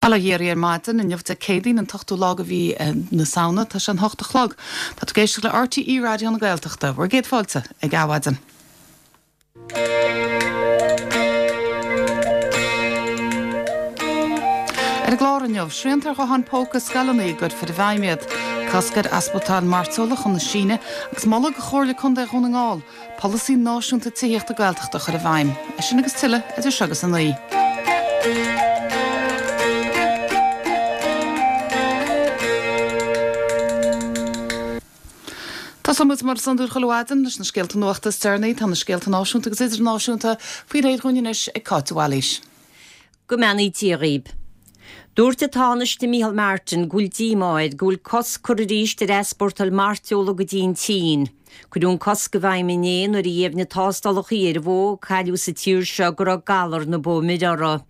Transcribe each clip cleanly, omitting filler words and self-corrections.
Bail ó Dhia oraibh ar maidin, inniu Dé Céadaoin an t-ochtú lá de mhí na Samhna, tá sé an hocht a chlog. Tá tú ag éisteacht le RTÉ Raidió na Gaeltachta. Bhur gcéad fáilte ag Adhmhaidin. Ar an gclár inniu, srianta ar ghutháin póca i scoileanna a gcuirfear i bhfeidhm iad, cosc ar easpórtáil mairteola chun na Síne agus moladh do Chomhairle Contae Dhún na nGall Polasaí Náisiúnta Tithíochta Gaeltachta a chur i bhfeidhm. É sin agus tuilleadh idir seo agus 9. Tosóidh muid mar is iondúil chuile mhaidin leis na scéalta nuachta is deireanaí. Tá na scéalta náisiúnta agus idirnáisiúnta faoi réir dhúinn anois ag Cáit de Bhailís. Go mbeannaí Dia dhaoib. Dúirt an Tánaiste Micheál Martin go bhfuil díomá air go bhfuil cosc curtha arís ar easpórtáil mairteola go dtí an tSín. Cuireadh an cosc i bhfeidhm inné nuair a dheimhnigh tástálacha ar bhó a cailleadh sa tír seo go raibh galar na bó mire orthu.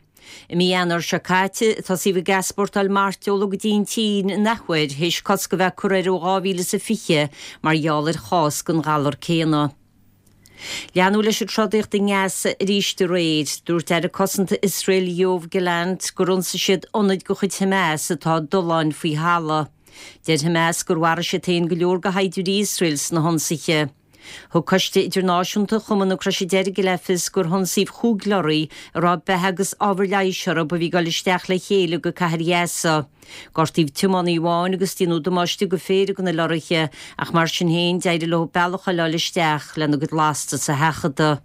I mí Eanáir seo caite tosaíodh ag easpórtáil mairteola go dtí an tSín an athuair théis cosc a bheith curtha air ó 2020 mar gheall ar chás den ghalar céanna. Leanadh leis an trodaíocht i nGaza arís aréir. Dúirt Aire Cosanta Iosrael Yoav Gallant gur ionsaigh siad ionaid de chuid Hamas atá i dtolláin faoi thalamh. Deir Hamas gur mharaigh siad féin go leor de shaighdiúirí Iosrael sna hionsaithe. Thug Coiste Idirnáisiúnta Chumann na Croise Deirge le fios gur hionsaíodh chúig lorraí a raibh beatha agus ábhar leighis orthu a bhí ag dul isteach le chéile go cathair Ghaza. Gortaíodh tiománaí amháin agus déanadh damáiste go phéire de na lorraithe ach mar sin féin d'éirigh leo bealach a fháil isteach lena gcuid lastas a sheachadadh.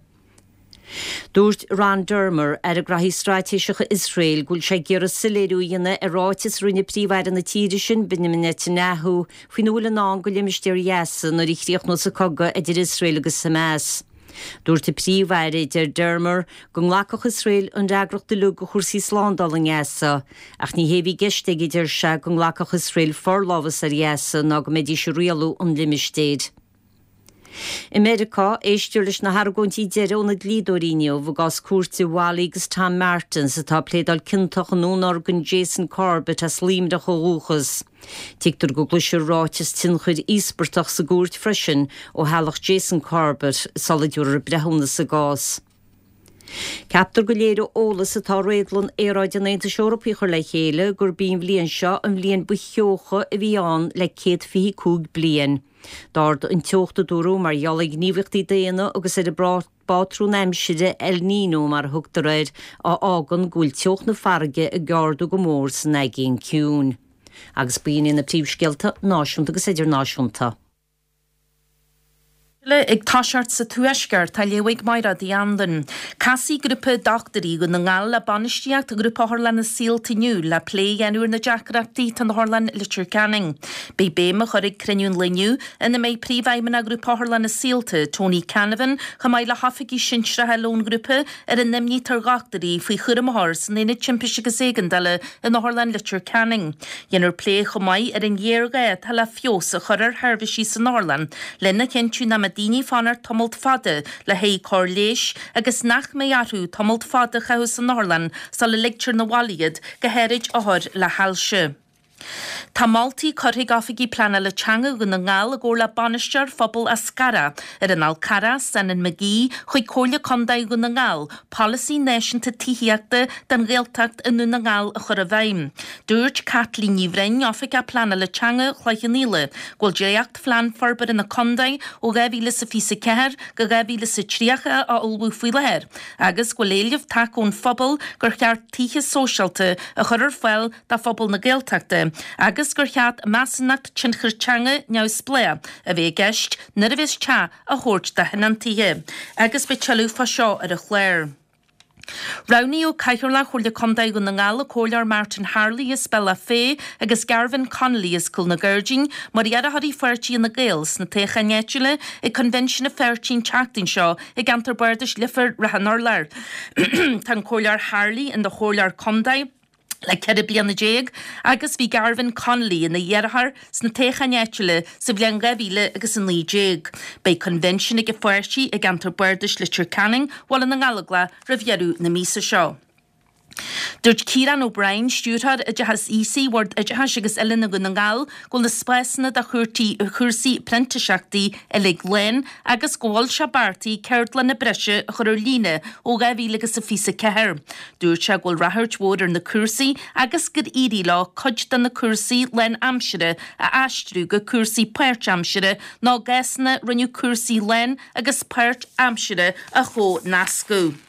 Dúirt Ron Dermer, Aire Graithí Straitéiseacha Iosrael, go bhfuil sé ag iarraidh soiléiriú a dhéanamh ar ráiteas a rinne Príomh-Aire na tíre sin, Benjamin Netanyahu, faoina bhfuil i ndán do limistéar Ghaza nuair a chríochnós an cogadh idir Iosrael agus Hamas. Dúirt an Príomh-Aire, a deir Dermer, go nglacfadh Iosrael an fhreagracht uilig do chúrsaí slándála i nGaza, ach ní hé a bhí i gceist aige, a deir sé, go nglacfadh Iosrael forlámhas ar Ghaza ná go mbeidís ag rialú an limistéir. I Meiriceá, éistear leis na hargóintí deiridh ó na dlíodóirí inniu i gcás cúirte Wally agus Tom Martins atá ag pléadáil ciontach i ndúnorgain Jason Corbett as Luimneach ó dhúchas. Tuigtear go gcloisfear ráiteas tionchair íospartach sa gcúirt freisin ó theaghlach Jason Corbett sula dtabharfar breithiúnas sa gcás. Ceaptar go léireoidh eolas atá Réadlann Aeráide an Aontais Eorpaigh a chur le chéile gurb í an bhliain seo an bhliain ba theocha a bhí ann le 125 bliain. D'ardaigh an teocht, a dúradh, mar gheall ar ghníomhaíochtaí daonna agus ar an bpátrún aimsire El Niño mar a thugtar air, a fhágann go bhfuil teocht na farraige ag ardú go mór san Aigéan Ciúin. Agus b'in iad na príomhscéalta náisiúnta agus idirnáisiúnta. Eile ag toiseacht sa Tuaisceart, á léamh ag Mairéad Uí Anluain. Casfaidh grúpa dochtúirí Dhún na nGall le bainistíocht Ghrúpa Otharlanna Saolta inniu le plé a dhéanamh ar na deacrachtaí atá in Otharlann Leitir Ceanainn. Beidh béim á chur ag cruinniú an lae inniu, ina mbeidh Príomhfheidhmeannach Ghrúpa Otharlanna Saolta, Tony Canavan, chomh maith le hoifigigh shinsearacha eile ón ngrúpa, ar an imní atá ar dhochtúirí faoi chúram a chur san Aonad Timpiste agus Éigeandála in Otharlann Leitir Ceanainn. Dhéanfar plé chomh maith ar an ghéarghá atá le feabhas a chur ar sheirbhísí san otharlann lena chinntiú nach mbeidh daoine ag fanacht tamalt fada le haghaidh cóir leighis agus nach mbeidh orthu tamalt fada a chaitheamh san otharlann sula ligtear 'na bhaile iad, go háirid othair le hailse. Tá moltaí curtha ag Oifigigh Pleanála Teanga Dhún na nGall i gcomhar le Bainisteoir Phobal Eascarrach ar an Fhál Carrach, Senan McGee, chuig Comhairle Contae Dhún na nGall Polasaí Náisiúnta Tithíochta don Ghaeltacht i nDún na nGall a chur i bhfeidhm. Dúirt Caitlín Ní Bhroin, Oifigeach Pleanála Teanga Chloich Cheann Fhaola, go bhfuil dréacht-Phlean Forbartha na Contae ó 2024 go 2030 á ullmhú faoi láthair agus go bhfuil éileamh tagtha ón phobal gur cheart tithe sóisialta a chur ar fáil do phobal na Gaeltachta agus gur cheart measúnacht tionchair teanga neamhspleách a bheith i gceist nuair a bheas teach á thabhairt do thionóntaithe agus beidh tuilleadh fá seo ar an chlár. Roghnaíodh Cathaoirleach Chomhairle Contae Dhún na nGall, an Comhairleoir Martin Harley as Bealach Féich agus Garvan Connolly as Cúl na Gairdín mar iarrthóirí pháirtí Fhine Gael sna toghcháin áitiúla ag Coinbhinsiún an pháirtí an tseachtain seo i gceantar Bardais Leifear Ráth an Urláir. Tá an Comhairleoir Harley ina Chomhairleoir Contae le 14 bliana agus bhí Garvan Connolly ina iarrthóir sna toghcháin áitiúla sa bhliain 2019. Beidh coinbhinsiún ag an pháirtí i gceantar bardais Leitir Ceanainn, Bhaile na nGallóglach roimh dheireadh na míosa seo. Dúirt Ciarán O'Brien, Stiúrthóir Oideachais Aosaigh Bhord Oideachais agus Oiliúna Dhún na nGall, go bhfuil na spásanna do chúrsaí printíseachtaí uilig lán agus go bhfuil sé beartaithe ceardlanna breise a chur ar líne ó 2024. Dúirt sé go bhfuil ráchairt mhór ar na cúrsaí agus gur éirigh leo cuid de na cúrsaí lán-aimsire a aistriú go cúrsaí páirt-aimsire nó i gcásanna rinneadh cúrsaí lán agus páirt-aimsire a chomhnascadh.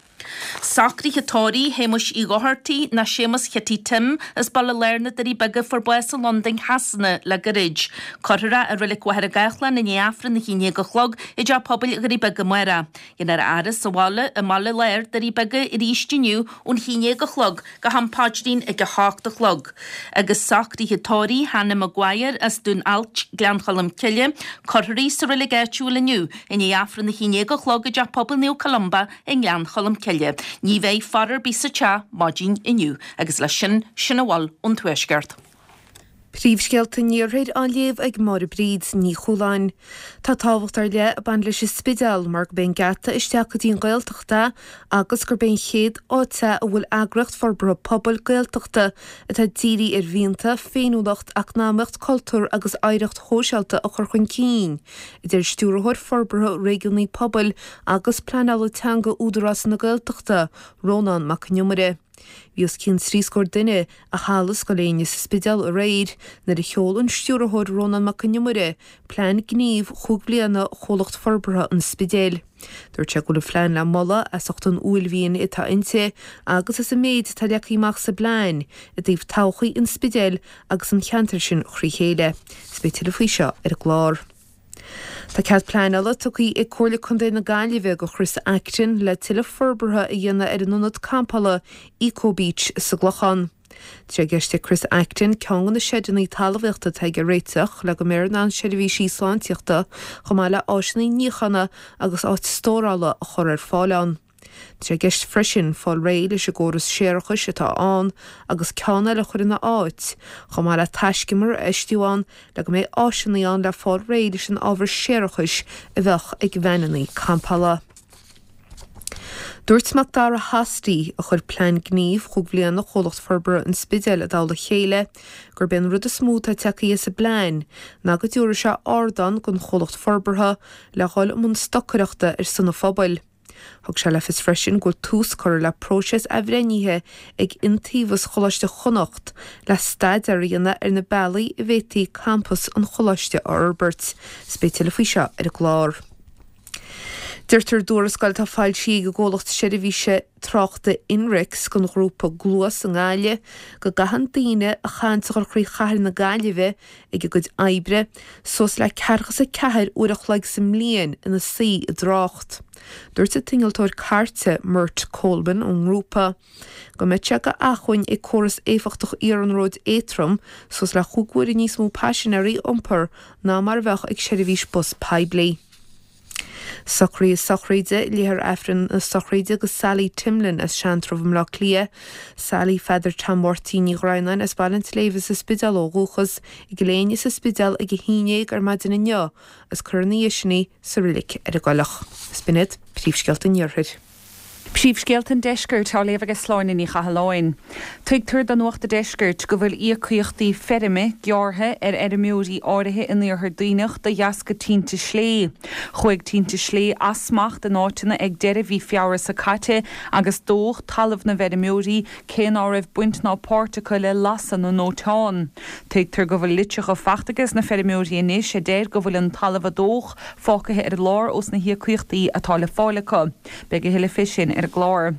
Socruithe tórraimh Shéamuis Uí Dhochartaigh nó Séamus Chití Tim as Baile Láir na Doirí Beaga fuair bás i Londain Shasana le gairid. Cuirfear é i Reilig Mhachaire Gathlán i ndiaidh Aifreann 11 a chlog i dTeach Pobail Dhoirí Beaga amárach. Déanfar a fhaire sa bhaile i mBaile Láir, Doirí Beaga arís inniu ón 11 a chlog go ham paidrín ag 8 a chlog. Agus socruithe tórraimh Hannah Maguire as Dún Ailt, Gleann Cholm Cille, cuirfear í sa reilig áitiúil inniu i ndiaidh Aifreann 11 a chlog i dTeach Pobail Naomh Columba i nGleann Cholm Cille. Ní bheidh faire ar bith sa teach maidin inniu. Agus leis sin, sin a bhfuil ón Tuaisceart. Príomhscéalta an Iarthair á léamh ag Máire Bríd Ní Chualáin. Tá tábhacht ar leith ag baint leis an Spidéal mar gurb é an geata isteach go dtí an Ghaeltacht é agus gurb é an chéad áit é a bhfuil eagraíocht forbartha pobail Gaeltachta atá dírithe ar mhianta, féiniúlacht, eacnamaíocht, cultúr agus oidhreacht shóisialta a chur chun cinn, a deir Stiúrthóir Forbartha Réigiúnaí Pobail agus Pleanála Teanga Údarás na Gaeltachta, Rónán Mac Con Iomaire. Bhí os cionn trí scór duine i Halla Scoil Éinne sa Spidéal aréir nuair a sheol an Stiúrthóir Rónán Mac Con Iomaire plean gnímh chúig bliana Chomhlacht Forbartha an Spidéil. Dúirt sé go bhfuil an phlean le moladh as ucht an uaillmhian atá inti agus as an méid atá leagtha amach sa bplean i dtaobh todhchaí an Spidéil agus an cheantair sin thrí chéile. Is beidh tuilleadh faoi seo ar an gclár. Tá cead pleanála tugtha ag Comhairle Contae na Gaillimhe do Chris Acton le tuilleadh forbartha a dhéanamh ar an ionad campála Eco Beach sa gClochán. Tá sé i gceist ag Chris Acton ceann de na seideanna talmhaíochta atá aige a réiteach le go mbeifear in ann seirbhísí sláintíochta chomh maith le áiseanna níochána agus áit stórála a chur ar fáil ann. Tá sé i gceist freisin fáil réidh leis an gcóras séarachais atá ann agus ceann eile a chur ina áit, chomh maith le taiscumar a fheistiú ann le go mbeidh áiseanna ann le fáil réidh leis an ábhar séarachais a bheadh ag veaineanna campála. Dúirt Macdara Hosty, a chuir plean gnímh chúig bhliana Chomhlacht Forbartha an Spidéil i dtoll a chéile, gurb é an rud is mó atá tagtha as an bplean ná go dtabharfaidh sé ardán don chomhlacht forbartha le dhul i mbun stocaireachta ar son an phobail. Thug sé le fios freisin go bhfuil tús curtha le próiseas athbhreithnithe ag Iontaobhas Choláiste Chonnacht le staidéar a dhéanamh ar na bealaí a bhféadfaí campas an choláiste a fhorbairt. Is beidh tuilleadh faoi seo ar an gclár. Deirtear i dtuarascáil atá foilsithe ag an gcomhlacht seirbhíse tráchta Inrix don ghrúpa Gluas i nGaillimh go gcaitheann daoine a chaitheann a dhul thrí chathair na Gaillimhe ag a gcuid oibre, suas le 44 uair a chloig sa mbliain ina suí i dtrácht. Dúirt an t-innealtóir cairte, Mert Coleman ón ngrúpa, go mbeadh sé d'acmhainn ag córas éifeachtach iarnróid éadtrom suas le chúig huaire níos mó paisinéirí a iompar ná mar a bheadh ag seirbhís bus poiblí. Socruithe sochraide, Léifear Aifreann na sochraide do Sally Timlin as Seantrabh i mBleá Cliath, Sally Pheadair Tom Mháirtín Ní Dhroighneáin as Baile an tSléibhe sa Spidéal ó dhúchas, i gCill Éinne sa Spidéal ag 11 ar maidin inniu agus cuirfear ina dhiaidh sin í sa reilig ar an gCoileach. Is b'in iad príomhscéalta an Iarthair. Príomhscéalta an Deiscirt á léamh ag Sláine Ní Chathalláin. Tuigtear do Nuacht a' Deiscirt go bhfuil íocaíochtaí feirme gearrtha ar fheirmeoirí áirithe in Iarthar Duibhneach de dheasca tinte slé. Chuaigh tinte slé as smacht in áiteanna ag deireadh mhí Feabhra seo caite agus dódh talamh na bhfeirmeoirí cé ná raibh baint ná páirt acu le lasadh na ndóiteán. Tuigtear go bhfuil litreacha fachta ages na feirmeoirí anois a deir go bhfuil an talamh a dódh fágtha ar lár ós na híocaíochtaí atá le fáil acu. Beidh a thuilleadh fé sin ar an gclár.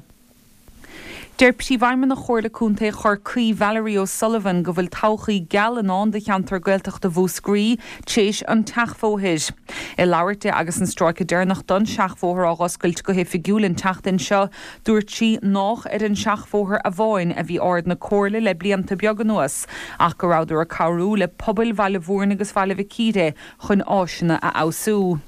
Deir Príomhfheidhmeannach Chomhairle Contae Chorcaí, Valerie O'Sullivan, go bhfuil todhchaí geal i ndán do cheantar Gaeltachta Mhúscraí tréis an tseachbhóthair. Ag labhairt di agus an stráice deireanach don seachbhóthar á dh'oscailt go hoifigiúil an tseachtain seo, dúirt sí nách ar an seachbhóthar amháin a bhí aird na Comhairle le blianta beaga anuas ach go rabhadar ag cabhrú le pobail Bhaile Mhúirne agus Bhaile Mhic Íre chun áiseanna a fheabhsú.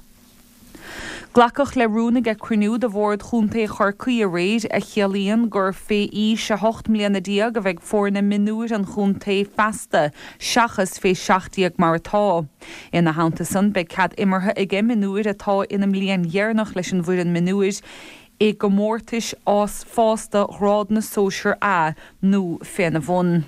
Glacadh le rún ag cruinniú de Bhord Chontae Chorcaí aréir a chiallaíonn gur fé aois 18 mbliana a bheidh foirne mionúir an chontae feasta seachas fé 17 mar atá. Ina theannta san beidh cead imeartha aige mionúir atá ina mbliain dheireanach leis an bhfoireann mionúir. i gcomórtais fásta ghrád na Sóisear A nó féna bhun.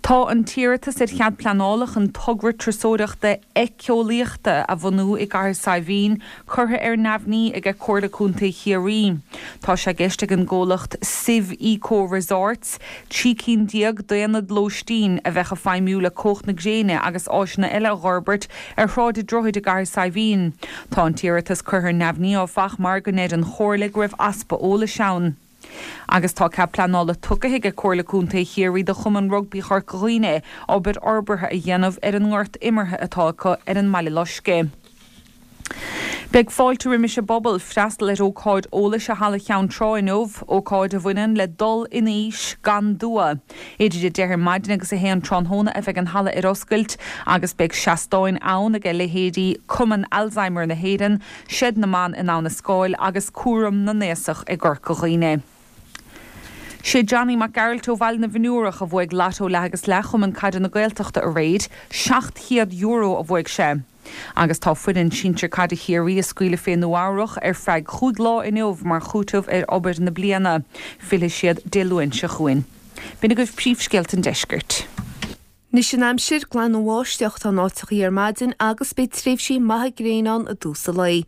Tá an t-iarratas ar chead pleanála chun togra turasóireachta éiceolaíochta a bhunú i gCathair Saidhbhín curtha ar neamhní aige Comhairle Contae Chiarraí. Tá sé i gceist ag an gcomhlacht Sive Eco Resorts 13 cinn d'aonaid lóistín a bheadh ag feidhmiú le cumhacht na gréine agus áiseanna eile a dh'fhorbairt ar Shráid an Droichid i gCathair Saidhbhín. Tá an t-iarratas curtha ar neamhní áfach mar go ndeir an Chomhairle go raibh easpa eolais ann. Agus tá cead pleanála tugtha aige Comhairle Contae Chiarraí do Chumann Rugbaí Chorca Dhuibhne obair fhorbartha a dhéanamh ar an ngort imeartha atá acu ar an mBaile Loiscthe. Beidh fáilte roimis an bpobal freastal ar ócáid eolais i Halla Cheann Trá inniu, ócáid a bhaineann le dul in aois gan dua. Idir 10 ar maidin agus 1 tráthnóna a bheidh an halla ar oscailt agus beidh seastáin ann aige leithéidí Cumann Alzheimer na hÉireann, Seid na mBan in Abha na Scáil agus Cúram na nAosach i gCorca Dhuibhne. Sé Johnny Mac Gearailt ó Bhaile na bhFionnúrach a bhuaigh Lotto Leath agus Leath Chumann Caide na Gaeltachta aréir. €700 a bhuaigh sé. Agus tá foireann sinsir caide Chiarraí á scaoileadh fé Nua Eabhrach ar feadh chúig lá inniu mar chúiteamh ar obair na bliana. Fillfidh siad Dé Luain seo chugainn. B'in agaibh príomhscéalta an deiscirt. Anois an aimsir, glan an bháisteach atá in áiteachaí ar maidin agus beidh tréimhsí maithe gréine ann i dtús an lae.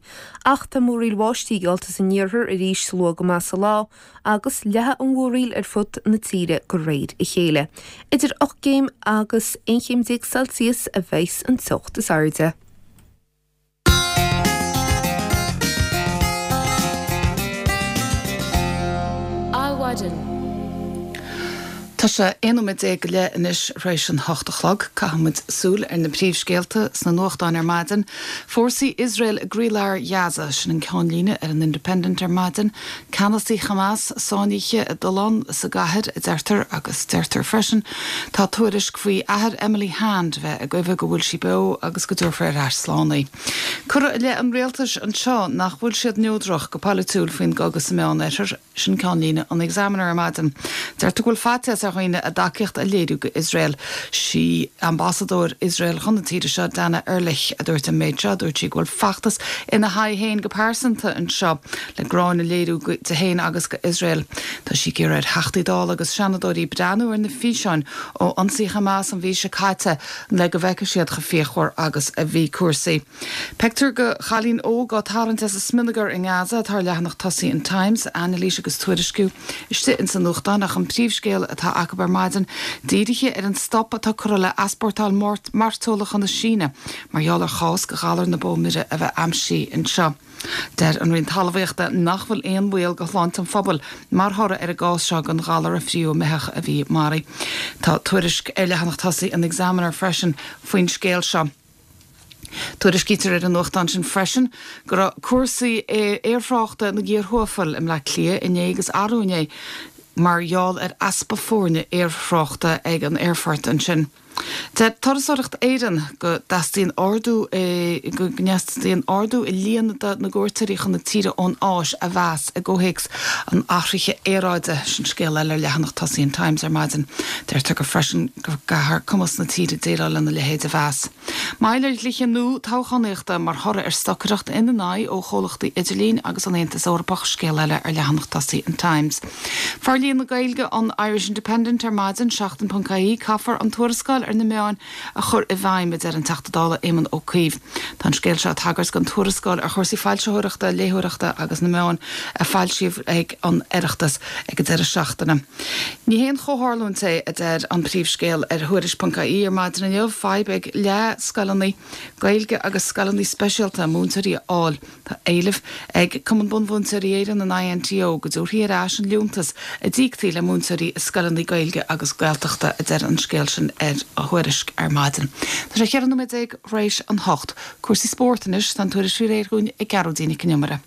Ach tá múraíl bháistí geallta san iarthar arís luath go maith sa lá agus leathfaidh an mhúraíl ar fud na tíre de réir a chéile. Idir 8 gcéim agus 11 chéim Celsius a bheas an teocht is airde. Adhmhaidin. Tá sé 11 nóiméad go leith anois tar éis an hocht a chlog. Caithfidh muid súil ar na príomhscéalta sna nuachtáin ar maidin. Fórsaí Iosrael i gcroílár Ghaza, sin an ceannlíne ar an Independent ar maidin. Ceannasaí Hamas sáinnithe i dtollán sa gcathair, a deirtear, agus deirtear freisin tá tuairisc faoi athair Emily Hand a bheith ag guí go bhfuil sí beo agus go dtabharfar ar ais slán í. Cuireadh i leith an rialtais anseo nach bhfuil siad neodrach go polaitiúil faoin gcogadh sa Meán-Oirthear, sin ceannlíne an Examiner ar maidin. Deirtear go bhfuil faitíos ar dhaoine a dtacaíocht a léiriú go Iosrael. Sí ambasadóir Iosrael chun na tíre seo, Dana Erlich, a dúirt an méid seo. Dúirt sí go bhfuil feachtas ina haghaidh féin go pearsanta anseo le gráin a léiriú di féin agus go Iosrael. Tá sí ag iarraidh ar Theachtaí Dála agus Seanadóirí breathnú ar na físeáin ó ionsaí Hamas an mhí seo caite le go bhfeicfidh siad chomh fíochmhar agus a bhí cúrsaí. Pictiúr de chailín óg á tarraingt as an smionagar i nGaza atá ar leathanach tosaigh an Times, anailís agus tuairisciú istigh ins an nuachtán ach an príomhscéal atá acu ar maidin dírithe ar an stop atá curtha le easpórtáil mairteola chun na Síne mar gheall ar chás de ghalar na bó mire a bheith aimsithe anseo. Deir an Roinn Talmhaíochta nach bhfuil aon bhaol go shláinte an phobail mar thoradh ar an gcás seo den ghalar a fríothadh i mbeithíoch a bhí maraithe. Tá tuairisc ar leathanach tosaigh an Examiner freisin faoin scéal seo. Tuairiscítear ar an nuachtán sin freisin go raibh cúrsaí aerthráchta ina gcíor thuafail i mBleá Cliath inné agus arú inné mar gheall ar easpa foirne aerthráchta ag an aerfort ansin. Deir Turasóireacht Éireann go dteastaíonn ardú i go dteastaíonn ardú i líon na gcuairteoirí chun na tíre ón Áis a mheas i gcomhthéacs an athraithe aeráide. Sin scéal eile ar leathanach tosaigh an Times ar maidin. Deirtear go freisin go gcaithfear cumas na tíre déileáil lena leithéid a mheas. Moill ar dhlíthe nua toghchánaíochta mar thoradh ar stocaireacht ina n-aghaidh ó chomhlachtaí idirlín agus an Aontas Eorpach, scéal eile ar leathanach tosaigh an Times. Forlíonadh na Gaeilge an Irish Independent ar maidin, Seachtain.ie, Caithfear an tuarascáil ar na meáin a chur i bhfeidhm, a deir an Teachta Dála Éamon Ó Cuív. Tá an scéal seo ag tagairt don tuarascáil ar chúrsaí foilsitheoireachta, léitheoireachta agus na meáin a foilsíodh ag an Oireachtas ag an deireadh seachtaine. Ní haon chomhtharlúint é, a deir an príomhscéal ar Thuairisc.ie ar maidin inniu, fadhb ag leath scoileanna Gaeilge agus scoileanna speisialta múinteoirí a fháil. Tá éileamh ag Cumann Bunmhúinteoirí Éireann, an INTO, go dtabharfaí ar ais an liúntas a d'íoctaí le múinteoirí i scoileanna Gaeilge agus Gaeltachta, a deir an scéal sin ar Thuairisc ar maidin. Tá sé 14 nóiméad tar éis an hocht. Cúrsaí spóirt anois, tá an tuairisc faoi réir dhúinn ag Gearóidín Nic an Iomaire.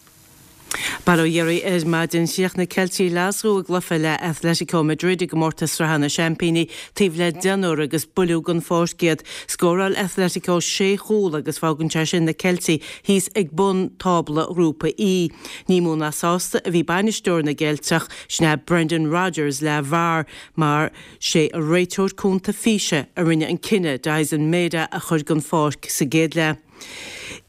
Bail ó Dhia oraibh ar maidin. Chríochnaigh Ceiltigh Ghlaschú i gcluiche le Atletico Madrid i gcomórtas Sraithe na Seaimpíní taobh le deichniúr agus builleadh den pháirc iad. Scóráil Atletico sé chúl agus fágann sé sin na Ceiltigh thíos ag bun tábla Ghrúpa E. Ní mó ná sásta a bhí bainisteoir na gCeilteach, sin é Brendan Rodgers, le VAR mar sé an réiteoir cúnta físe a rinne an cinneadh Daizen Maeda a chur den pháirc sa gcéad leath.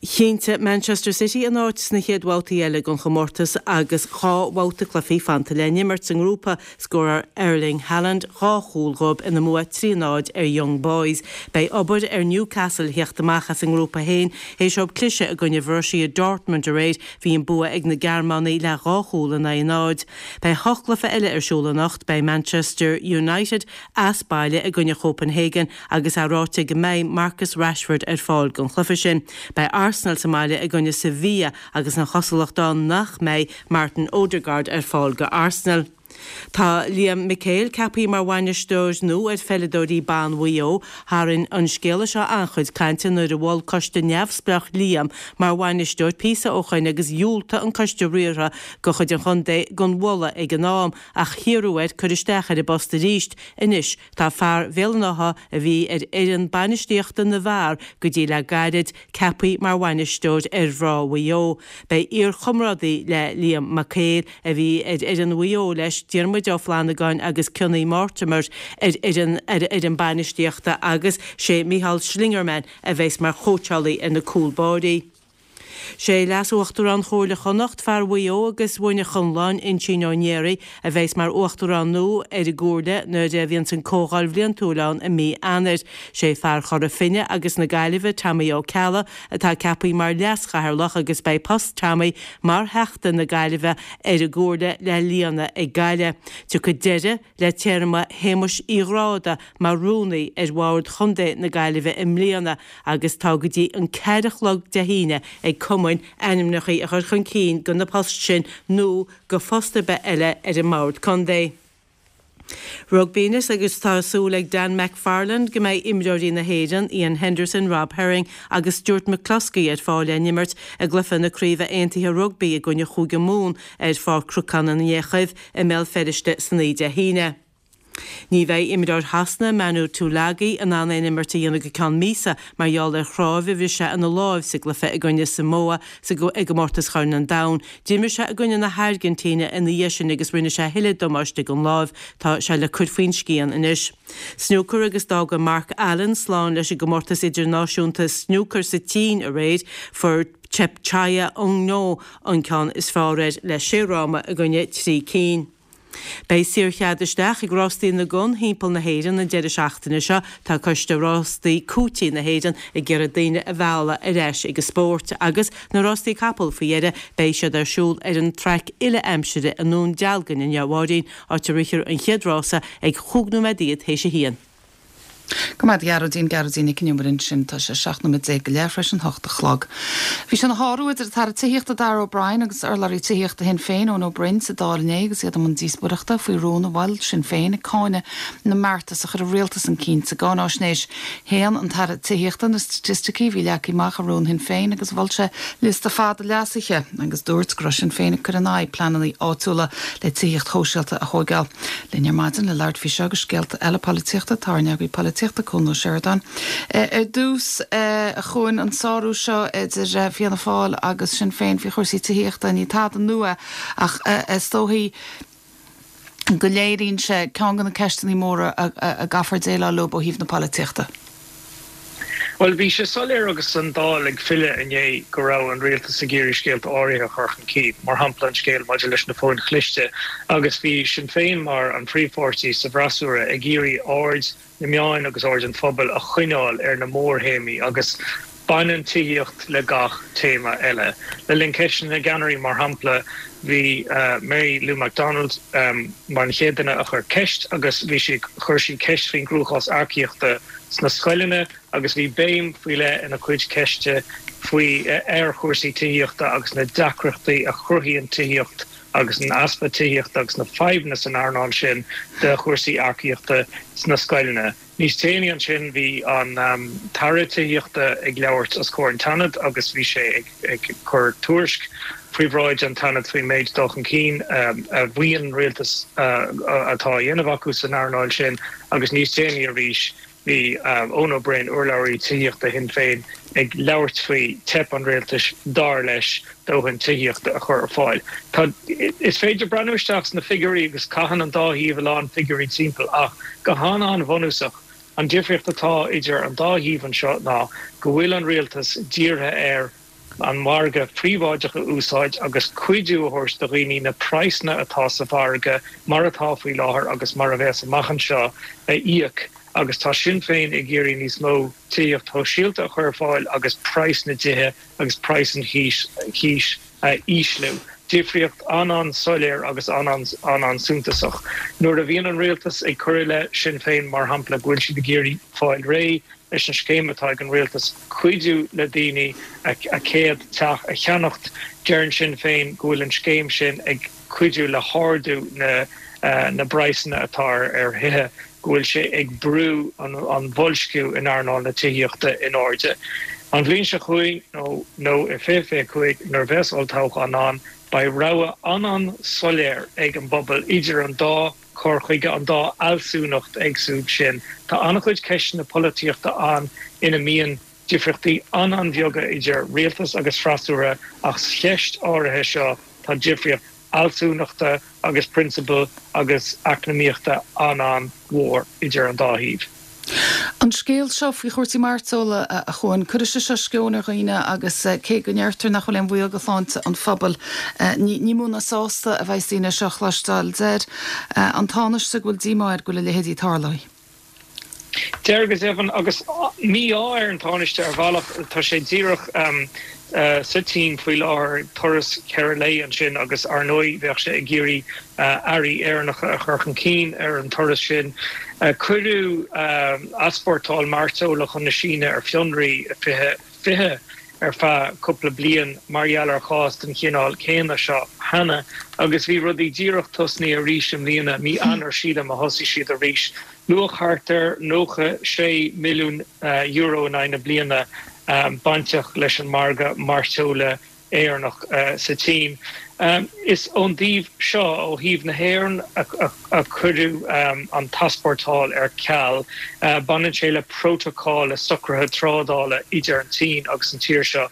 Chinntigh Manchester City a n-áit sna chéad bhabhtaí eile den chomórtas agus 2 bhabhta cluichí fanta le n-imirt sa ngrúpa. Scóráil Erling Haaland 2 chúl dhóibh ina mbua 3 0 ar Young Boys. Beidh obair ar Newcastle theacht amach as a ngrúpa féin théis dóibh cliseadh i gcoinne Bhorussia Dortmund aréir. Bhí an bua ag na Gearmánaigh le 2 chúl in aghaidh 0. Beidh 8 gcluiche eile ar siúl anocht. Beidh Manchester United as baile i gcoinne Chopenhagen agus é ráite go mbeidh Marcus Rashford ar fáil don chluiche sin. Beidh Arsenal sa mbaile i gcoinne Sevilla agus an chosúlacht ann nach mbeidh Martin Odegaard ar fáil go Arsenal. Tá Liam McHale ceaptha mar bhainisteoir nua ar pheileadóirí ban Mhaigh Eo. Tharraing an scéala seo an-chuid cainte nuair a mhol coiste neamhspleách Liam mar bhainisteoir píosa ó shoin agus dhiúltaigh an coiste riartha de chuid an chontae don mholadh ag an am ach hiarradh air cur isteach ar an bpost arís anois Tá fear Bhéal an Átha, a bhí ar fhoireann bainistíochta na bhfear go dtí le gairid, ceaptha mar bhainisteoir ar mhná Mhaigh Eo. Beidh iar-chomrádaí le Liam McHale, a bhí ar fhoireann Mhaigh Eo leis, Diarmuid Ó Flannagáin agus Cionnaith Mortimer ar fhoireann ar fhoireann bainistíochta agus sé Micheál Schlingermann a bheas mar chóitseálaí ar na cúl báirí. Sé Leas-Uachtarán Chomhairle Chonnacht, fear Mhaigh Eo agus Mhuine Chonláin, Uinsíonn Ó Néaraí, a bheas mar Uachtarán nua ar an gComhairle nuair a bhíonns an Comhdháil Bhliantúil ann i mí Eanáir. Sé fear Chora Finne agus na Gaillimhe, Tommy Ó Ceallaigh, atá ceaptha mar Leas-Chathaoirleach agus beidh post Tommy mar Theachta na Gaillimhe ar an gComhairle le líonadh ag Gaillimh. Tiocfaidh deireadh le téarma Shéamuis Uí Ghráda mar Rúnaí ar Bhord Chontae na Gaillimhe i mbliana agus tá go dtí an ceathair a chlog Dé hAoine ag cumainn ainmneacha a chur chun cinn do na poist sin nó do phost ar bith eile ar an mBord Contae. Rugbaí anois agus tá súil ag Dan McFarland go mbeidh imreoirí na hÉireann, Iain Henderson, Rob Herring agus Stuart McCloskey ar fáil le n-imirt i gcluiche na Craoibhe Aontaithe Rugbaí i gcoinne Chúige Mumhan ar Pháirc Chnocán an Fhiachaibh i mBéal Feirste san oíche Dé hAoine. Ní bheidh imreoir Shasana, Manu Tuilagi, in ann aon imirt a dhéanamh go ceann míosa mar gheall ar chnámh a bhris sé ina láimh sa gcluiche i gcoinne Samoa sa i gcomórtas Chorn an Domhain. D'imir sé i gcoinne na hAirgintíne ina dhiaidh sin agus rinne sé a thuilleadh damáiste don láimh. Tá sé le cur faoin scian anois. Snúcar agus d'fhága Mark Allen slán leis an gcomórtas idirnáisiúnta snúcair sa tSín aréir. Fuair Thepchaiya Un-Nooh an ceann is fearr air le sé fhráma i gcoinne 3 cinn. Beidh saorchead isteach ag Rástaí na gCon thimpeall na hÉireann an deireadh seachtaine seo. Tá Coiste Rástaí Cúití na hÉireann ag iarraidh daoine a mhealladh ar ais ag an spórt. Agus na rástaí capall faoi dheireadh, beidh siad ar siúl ar an traic uile-aimsire i nDún Dealgan inniu, a Mháirín, áit a rithfear an chéad rása ag chúig nóiméad fhichead théis a haon. Go raibh maith agat, a Ghearóidín, Gearóidín Nic an Iomaire ansin. Tá sé 17 nóiméad go leith tar éis an hocht a chlog. Bhí sé ina shárú idir an tAire Tithíochta Darragh O'Brien agus urlabhraí tithíochta Shinn Féin, Eoin Ó Broin, sa Dáil inné agus iad i mbun díospóireachta faoi rún a mhol Sinn Féin ag cáineadh na mbeartas a chuir an rialtas chun cinn sa gcáináisnéis. Shéan an tAire Tithíochta na staitisticí a bhí leagtha amach i rún Shinn Féin agus mhol sé liosta fada leasuithe agus dúirt go raibh Sinn Féin ag cur in aghaidh pleananna áitiúla le tithíocht shóisialta a thóigeáil. Linn ar maidin le labhairt faoi seo agus scéalta eile polaitíochta tá ár n-eagraí polaitíochta, Cuan Ó Seireadáin. Ar dtús, a Chuain, an sárú seo idir Fianna Fáil agus Sinn Féin faoi chúrsaí tithíochta, ní tada nua ach is dóichí go léiríonn sé ceann de na ceisteanna móra a gcaithfear déileáil leo ó thaobh na polaitíochta. Bhuel, bhí sé soiléir agus an Dáil ag filleadh inné go raibh an rialtas ag iarraidh scéalta áirithe a chur chun cinn, mar shampla an scéal maidir leis na fóin chliste, agus bhí Sinn Féin mar an phríomhpháirtí sa bhfreasúra ag iarraidh aird na meáin agus aird an phobail a choinneáil ar na mórthéamaí agus baineann tithíocht le gach téama eile. Le linn Ceisteanna na gCeannairí, mar shampla, bhí Mary Lou McDonald mar an chéad duine a chuir ceist agus bhí sí chuir sí ceist faoin gcruachás earcaíochta sna scoileanna agus bhí béim faoi leith ina cuid ceiste faoi ar chúrsaí tithíochta agus na deacrachtaí a chruthaíonn tithíocht agus an easpa tithíochta agus na fadhbanna san earnáil sin do chúrsaí earcaíochta sna scoileanna. Níos déanaí ansin bhí an tAire Tithíochta ag labhairt os comhair an tSeanaid agus bhí sé ag cur tuairisc faoi bhráid an tSeanaid faoin méid dul chun cinn a mhaíonn an rialtas atá á dhéanamh acu san earnáil sin agus níos déanaí arís bhí Eoin Ó Broin, urlabhraí tithíochta Shinn Féin, ag labhairt faoi teip an rialtais, dar leis, dóthain tithíochta a chur ar fáil. Tá, is féidir breathnú isteach sna figiúirí agus caitheann an dá thaobh a lán figiúirí timpeall ach go han-an-bhunúsach. An difríocht atá idir an dá thaobh anseo ná go bhfuil an rialtas dírithe ar an margadh príobháideach a úsáid agus cuidiú a thabhairt do dhaoine na praghsanna atá sa mhargadh mar atá faoi láthair agus mar a bheas amach anseo a íoc agus tá Sinn Féin ag iarraidh níos mó tithíocht shóisialta a chur ar fáil agus praghas na dtithe agus praghas an chíos a ísliú. Difríocht an-an-soiléir agus an-an-suntasach. Nuair a bhíonn an rialtas ag cur i leith Sinn Féin, mar shampla, go bhfuil siad ag iarraidh fáil réidh leis an scéim atá ag an rialtas cuidiú le daoine a céad teach a cheannacht, deireann Sinn Féin go bhfuil an scéim sin ag cuidiú le hardú na bpraghsanna atá ar thithe. go bhfuil sé ag brú an bhoilsciú in earnáil na tithíochta in airde. An bhliain seo chugainn, nó nó i 2025 nuair a bheas olltoghchán ann, beidh rogha an-an-soiléir ag an bpobal idir an dá chur chuige, an dá fhealsúnacht éagsúil sin. Tá an-chuid ceisteanna polaitíochta ann ina mbíonn difríochtaí an-an-bheaga idir rialtas agus freasúra ach sa cheist áirithe seo tá difríocht fhealsúnachta agus prionsabail agus eacnamaíochta an-an-mhór idir an dá thaobh. An scéal seo faoi chúrsaí mairteola, a Chuain, cuirfidh sé seo sceon ar dhaoine agus cé go ndeirtear nach bhfuil aon bhaol do shláinte an phobail, ní mó ná sásta a bheas daoine é seo a chloisteáil. Deir an Tánaiste go bhfuil díomá air go bhfuil a leithéidí tarlaithe. Deir go deimhin, agus mí-ádh ar an Tánaiste ar bhealach, tá sé díreach sa tSín faoi láthair, turas cheithre lae ansin agus ar ndóigh bheadh sé ag iarraidh earraí Éireannacha a chur chun cinn ar an turas sin. Cuireadh easpórtáil mairteola chun na Síne ar fionraí i 2020 ar feadh cúpla bliain mar gheall ar chás den chineál céanna seo cheana agus bhí rudaí díreach tosnaithe arís i mbliana, mí Eanáir sílim a thosaigh siad arís. Luach thart ar €96 milliún in aghaidh na bliana bainteach leis an margadh mairteola Éireannach sa tSín. Is ón dtaobh seo, ó thaobh na hÉireann, a cuireadh an t-easpórtáil ar ceal. Baineann sé le prótacal, le socruithe trádála idir an tSín agus an tír seo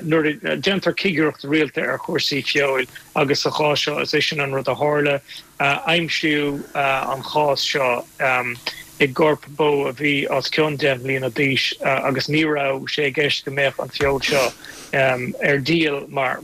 nuair a déantar cigireacht rialta ar chúrsaí feoil agus sa chás seo is é sin an rud a tharla. Aimsíodh an chás seo i gcorp bó a bhí os cionn 10 mbliana d'aois agus ní raibh sé i gceist go mbeadh an feoil seo ar díol mar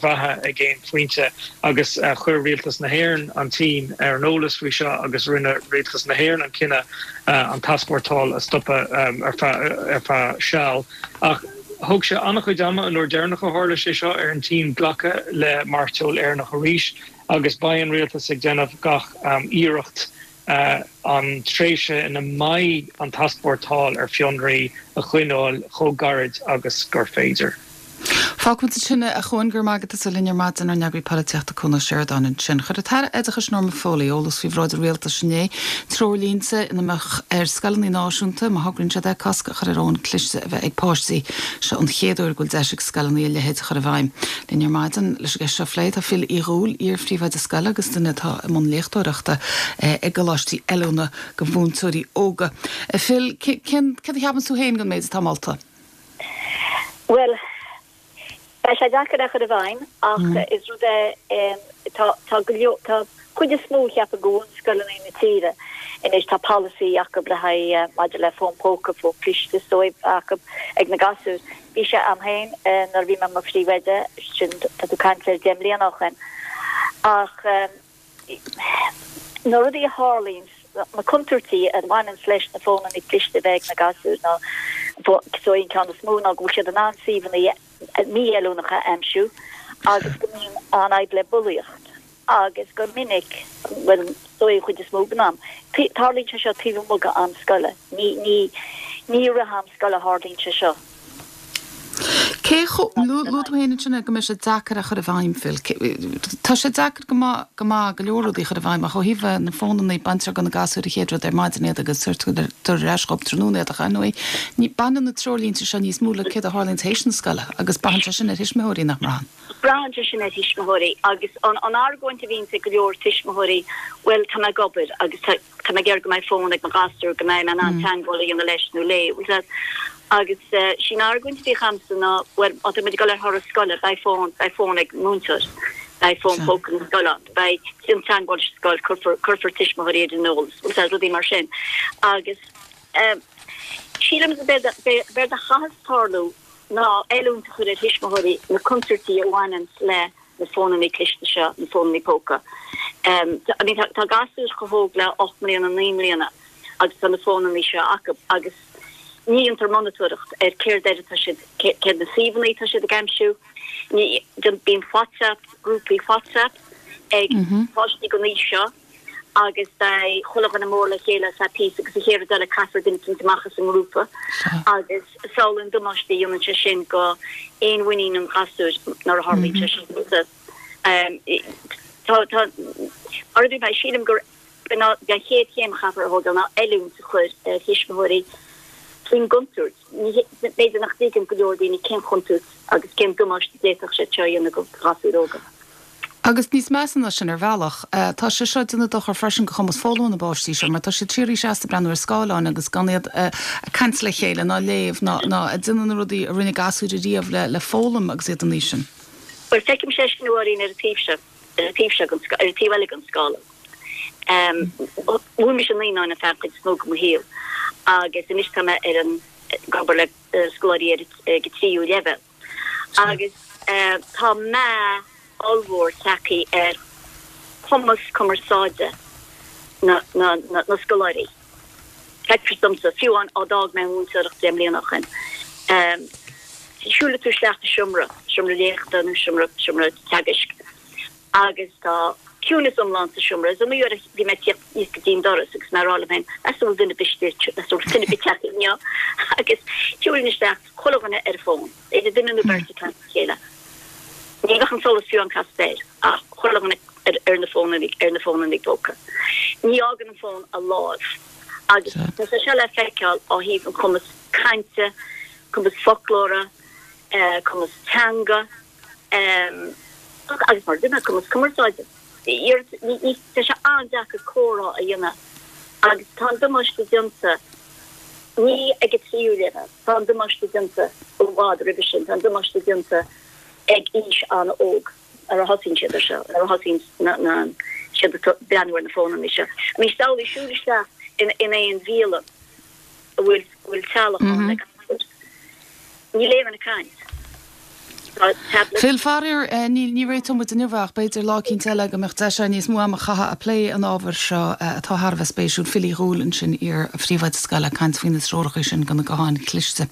bheatha ag aon phointe agus chuir Rialtas na hÉireann an tSín ar an eolas faoi seo agus rinne Rialtas na hÉireann an cinneadh an t-easpórtáil a stopadh ar feadh seal. Ach thóg sé an-chuid ama an uair deireanach a tharla sé seo ar an tSín glacadh le mairteoil Éireannach arís. agus beidh an rialtas ag déanamh gach iarracht an tréimhse ina mbeidh an t-easpórtáil ar fionraí a choinneáil chomh gairid agus gur féidir. Fágfaimid ansin é, a Chuain, go raibh maith agat as a bheith linn ar maidin, ár n-eagraí polaitíochta Cuan Ó Seireadáin ansin. Chuir an tAire Oideachais Norma Foley eolas faoi bhráid an Rialtais inné, treoirlínte ina mbeadh ar scoileanna náisiúnta, má thograíonn siad é, cosc a chur ar fhóin cliste a bheith ag páistí. Seo an chéad uair go bhfuil deis ag scoileanna a leithéid a chur i bhfeidhm. Linn ar maidin leis an gceist seo a phlé tá Phil Uí Dhúill, iar-phríomhoide scoile agus duine atá i mbun léachtóireachta i gcoláistí oiliúna do mhúinteoirí óga. Phil, cén, céard a cheapann tú féin den méid atá molta? Bhuel, beidh sé deacair é a chur i bhfeidhm ach is rud é, tá, tá go leor, tá chuid is mó cheapfainn de bhunscoileanna na tíre anois tá polasaí acu le haghaidh maidir le fón póca, fón cliste is dóigh acu ag na gasúir. Bhí sé a'm féin nuair a bhí mé i mo phríomhoide, sin tá tú ag caint ar 10 mbliana ó shoin. Ach na rudaí a tharlaíonn, na contúirtí a bhaineanns leis na fónanna cliste a bheith ag na gasúir ná, is dóigh an ceann is mó ná go bhfuil siad in ann suíomhanna mífheiliúnacha a aimsiú agus go mbíonn an-fhadhb le bulaíocht. agus go minic, bhuel, is dóigh an chuid is mó den am, tarlaíonn sé seo taobh amuigh d'am scoile. Ní, ní, ní i rith am scoile a tharlaíonn sé seo. Cé chomh, luaigh tú féin ansin go mbeidh sé deacair a chur i bhfeidhm, Phil. Tá sé deacair go maith, go maith go leor rudaí a chur i bhfeidhm ach ó thaobh na fónanna, baintear de na gasúir an chéad rud ar maidin iad agus tabhartar ar ais dhóibh tráthnóna iad ach ar ndóigh, ní, baineann na treoirlínte seo níos mó le céard a tharlaíonn tar éis na scoile agus braitheann sé sin ar thuismitheoirí, nach mbraitheann? Braitheann sé sin ar thuismitheoirí agus an argóint a bhíonns ag go leor tuismitheoirí, bhuel, tá mé ag obair agus tá mé ag iarraidh go mbeidh fón ag mo ghasúr, go mbeidh mé in ann teagmháil a dhéanamh leis nó léi, bhfuil fhios agat. Agus sí an argóint a bhíodh a'msa ná, bhuel, má tá muid ag dul ar thuras scoile, beidh fón, beidh fón ag an múinteoir, beidh fón póca na scoile ann, beidh, déan teagmháil leis an scoil, cuirfear, cuirfear tuismitheoirí ar an eolas, bhfuil fhios agat, rudaí mar sin. Agus. Sílim b'éard a chaithfeas tarlú ná oiliúint a chur ar thuismitheoirí na contúirtí a bhaineanns le na fónannaí cliste seo, na fónannaí póca. I mean tá gasúir chomh hóg le 8 mbliana, 9 mbliana agus tá na fónannaí seo acu agus ní dhéantar monatóireacht ar céard air atá siad, céard na suíomhanna atá siad ag aimsiú. Ní, bíonn WhatsApp, grúpaí WhatsApp ag páistí den aois seo agus beidh chuile dhuine mór le chéile ar feadh píosa agus an chéad rud eile caithfear duine eicínt amach as an ngrúpa agus samhlaigh an damáiste a dhéanann sé sin go fhéinmhuinín an ghasúir nuair a tharlaíonn sé sin. Tá, tá, mar a dúirt mé, sílim gur an chéad chéim a chaithfear a thógáil ná oiliúint a chur ar thuismitheoirí faoin gcontúirt. B'fhéidir nach dtuigeann go leor daoine cén chontúirt agus cén damáiste a d'fhéadfadh sé seo a dhéanamh go ghasúir óga. Agus níos measa ná sin ar bhealach, tá sé seo ag déanamh dochar freisin go chumas foghlama na bpáistí seo mar tá siad síoraí seasta ag breathnú ar scáileáin agus gan iad ag caint le chéile ná léamh ná ná ag déanamh na rudaí a rinne gasúir ariamh le le foghlaim agus iad an aois sin. Bhuel, feicimse é sin a Mháirín ar an taobh seo, ar an taobh seo den, ar an taobh eile den scála. Mhúin mise naíonáin an feadh an chuid is mó de mo shaol agus anois tá mé ar an, ag obair le scoláirí ar ag an tríú leibhéal. Agus tá meath ollmhór tagtha ar chumas cumarsáide na scoláirí. Feictear domsa, fiú amháin ó d'fhág mé an mhúinteoireacht 10 mbliana ó shin, siúlfaidh tú isteach i seomra, seomra léachta nó seomra, seomra teagaisc, agus tá ciúnas iomlán sa seomra. Is iomaí uair a bhí mé ag tíocht aníos go dtí an doras agus mé ag rá liom féin, meas tú an bhfuil duine ar bith istigh, meas tú an bhfuil duine ar bith tagtha inniu? Agus shiúlfainn isteach, chuile dhuine ar a fón, b'fhéidir duine nó beirt ag caint le chéile. Ní bheadh an solas fiú amháin casta air ach chuile dhuine ar na fónannaí, ar na fónannaí póca. Ní fhágann an fón a láimh. Agus tá sé seo le feiceáil ó thaobh an chumas cainte, cumas foclóra, cumas teanga, Agus mar a dúirt mé, cumas cumarsáide. Tá sé an-deacair comhrá a dhéanamh agus tá an damáiste déanta, ní ag an tríú leibhéal, tá an damáiste déanta i bhfad roimhe sin, tá an damáiste déanta ag aois an-óg nuair a thosaíonn siad ar seo, nuair a thosaíonn siad ag breathnú ar na fónanna seo. I mean, samhlaigh siúl isteach in aon bhialann a bhfuil teaghlach ann le gasúir. Níl aon duine ag caint. Tá tablet. Phil, faraor, ní réiteoidh muid inniu ach b'fhéidir lá eicínt eile go mbeadh deis againn níos mó ama a chaitheamh ag plé an ábhair seo atá thar a bheith spéisiúil. Phil Uí Dhúill ansin, iar-phríomhoide scoile, ag caint faoi na treoracha sin do na gutháin chliste.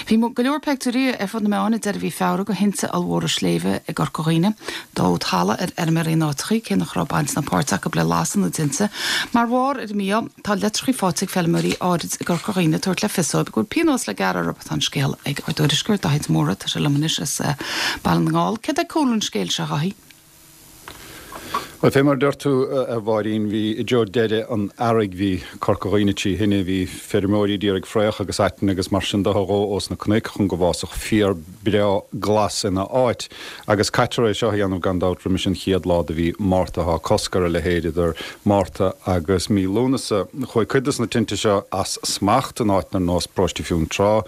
Bhí go leor peictiúirí ar fud na meáin ag deireadh mhí Feabhra de thinte ollmhóra sléibhe i gCorca Dhuibhne. Dódh talamh ar fheirmeoirí in áiteachaí, cé nach raibh baint ná páirt acu le lasadh na dtinte. Mar bharr ar an mí-ádh, Tá litreachaí faighte ag feilméaraí áirid i gCorca Dhuibhne ag tabhairt le fios dóibh go bhfuil pionós le gearradh orthu. Tá an scéal ag ár dtuairisceoir, Daithí de Mórdha. Tá sé liom anois as Baile na nGall. Céard é cúlra an scéil seo, a Dhaithí? Bhuel, fé mar a deir tú, a Mháirín, bhí i dtreo deireadh an earraigh, bhí Corca Dhuibhne trí thine, bhí feirmeoirí d'iarraidh fraoch agus aiteann agus mar sin de a dhó ós na cnoic chun go bhfásfadh féar breá glas ina áit. Agus caitear é seo a dhéanamh gan dabht roimis an chéad lá de mhí Márta. Tá cosc ar a leithéid idir Márta agus mí Lúnasa. Chuaigh cuid des na tinte seo as smacht in áiteanna ar nós Paróiste Fionntrá,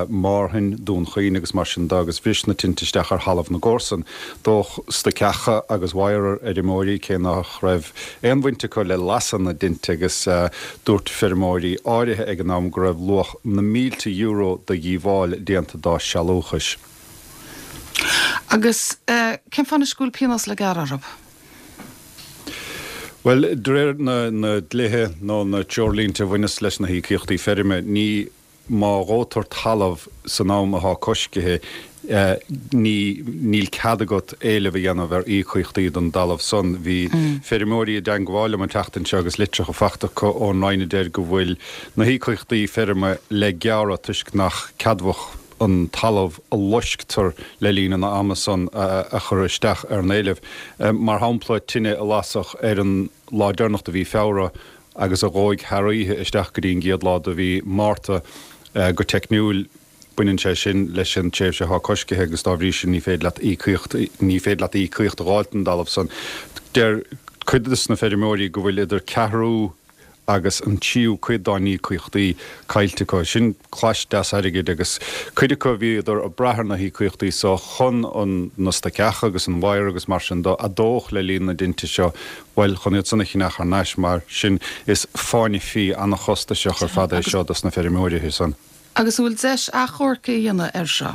Márthain, Dún Chaoin agus mar sin de agus bhris na tinte isteach ar thalamh na gcomharsan. Dódh stoiceacha agus wire ar fheirmeoirí cé nach raibh aon bhaint acu le lasadh na dtinte agus dúirt feirmeoirí áirithe ag an am go raibh luach na mílte euro de dhíobháil déanta dá sealúchais. Agus cén fáth anois go bhfuil pionós le gearradh orthu? Bhuel, de réir na ndlíthe nó na treoirlínte a bhaineas leis na híocaíochtaí feirme, ní má dhóitear talamh san am atá coiscithe, ní níl cead agat éileamh a dhéanamh ar íocaíochtaí don dtalamh san. Bhí feirmeoirí i dteangmháil liom an tseachtain seo agus litreacha fachta acu ón Roinn a deir go bhfuil na híocaíochtaí feirme le gearradh toisc nach ceadmhach an talamh a loisctear le linn an ama san a chur isteach ar an éileamh. Mar shampla, tine a lasadh ar an lá deireanach de mhí Feabhra agus a dhóigh thar oíche isteach go dtí an gcéad lá de mhí Márta. Go teicniúil, baineann sé sin leis an tréimhse atá coiscithe agus dá bhrí sin ní féidir leat íocaíocht ní féidir leat íocaíocht a dh'fháilt don dtalamh san. Deir cuid de na feirmeoirí go bhfuil idir ceathrú. Agus an tríú cuid dá n-íocaíochtaí caillte acu. Sin clais deas airgid agus cuid acu bhíodar ag brath ar na híocaíochtaí so chun an na stoic eacha agus an wire agus mar sin do a dódh le linn na dtinte seo, bhuel, chun iad san a cheannach thar n-ais mar sin is fáinne fí ana-chostasach ar fad é seo dos na feirmeoirithe san. Agus an bhfuil deis achomharc a dhéanamh air seo?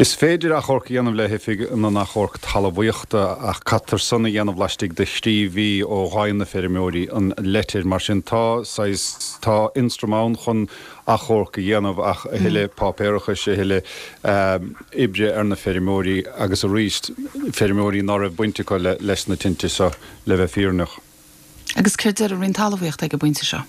Is féidir achomharc a dhéanamh le hOifig na nAchomharc Talmhaíochta ach caithfear san a dhéanamh laistigh de thrí mhí ó dh'fhaigheann na feirmeoirí an leitir. Mar sin tá saghas, tá ionstraim ann chun achomharc a dhéanamh ach a thuilleadh páipéarachais, a thuilleadh oibre ar na feirmeoirí agus arís feirmeoirí ná raibh baint acu leis na tinte seo le bheith fírinneach. Agus céard deir an Roinn Talmhaíochta ag an bpointe seo?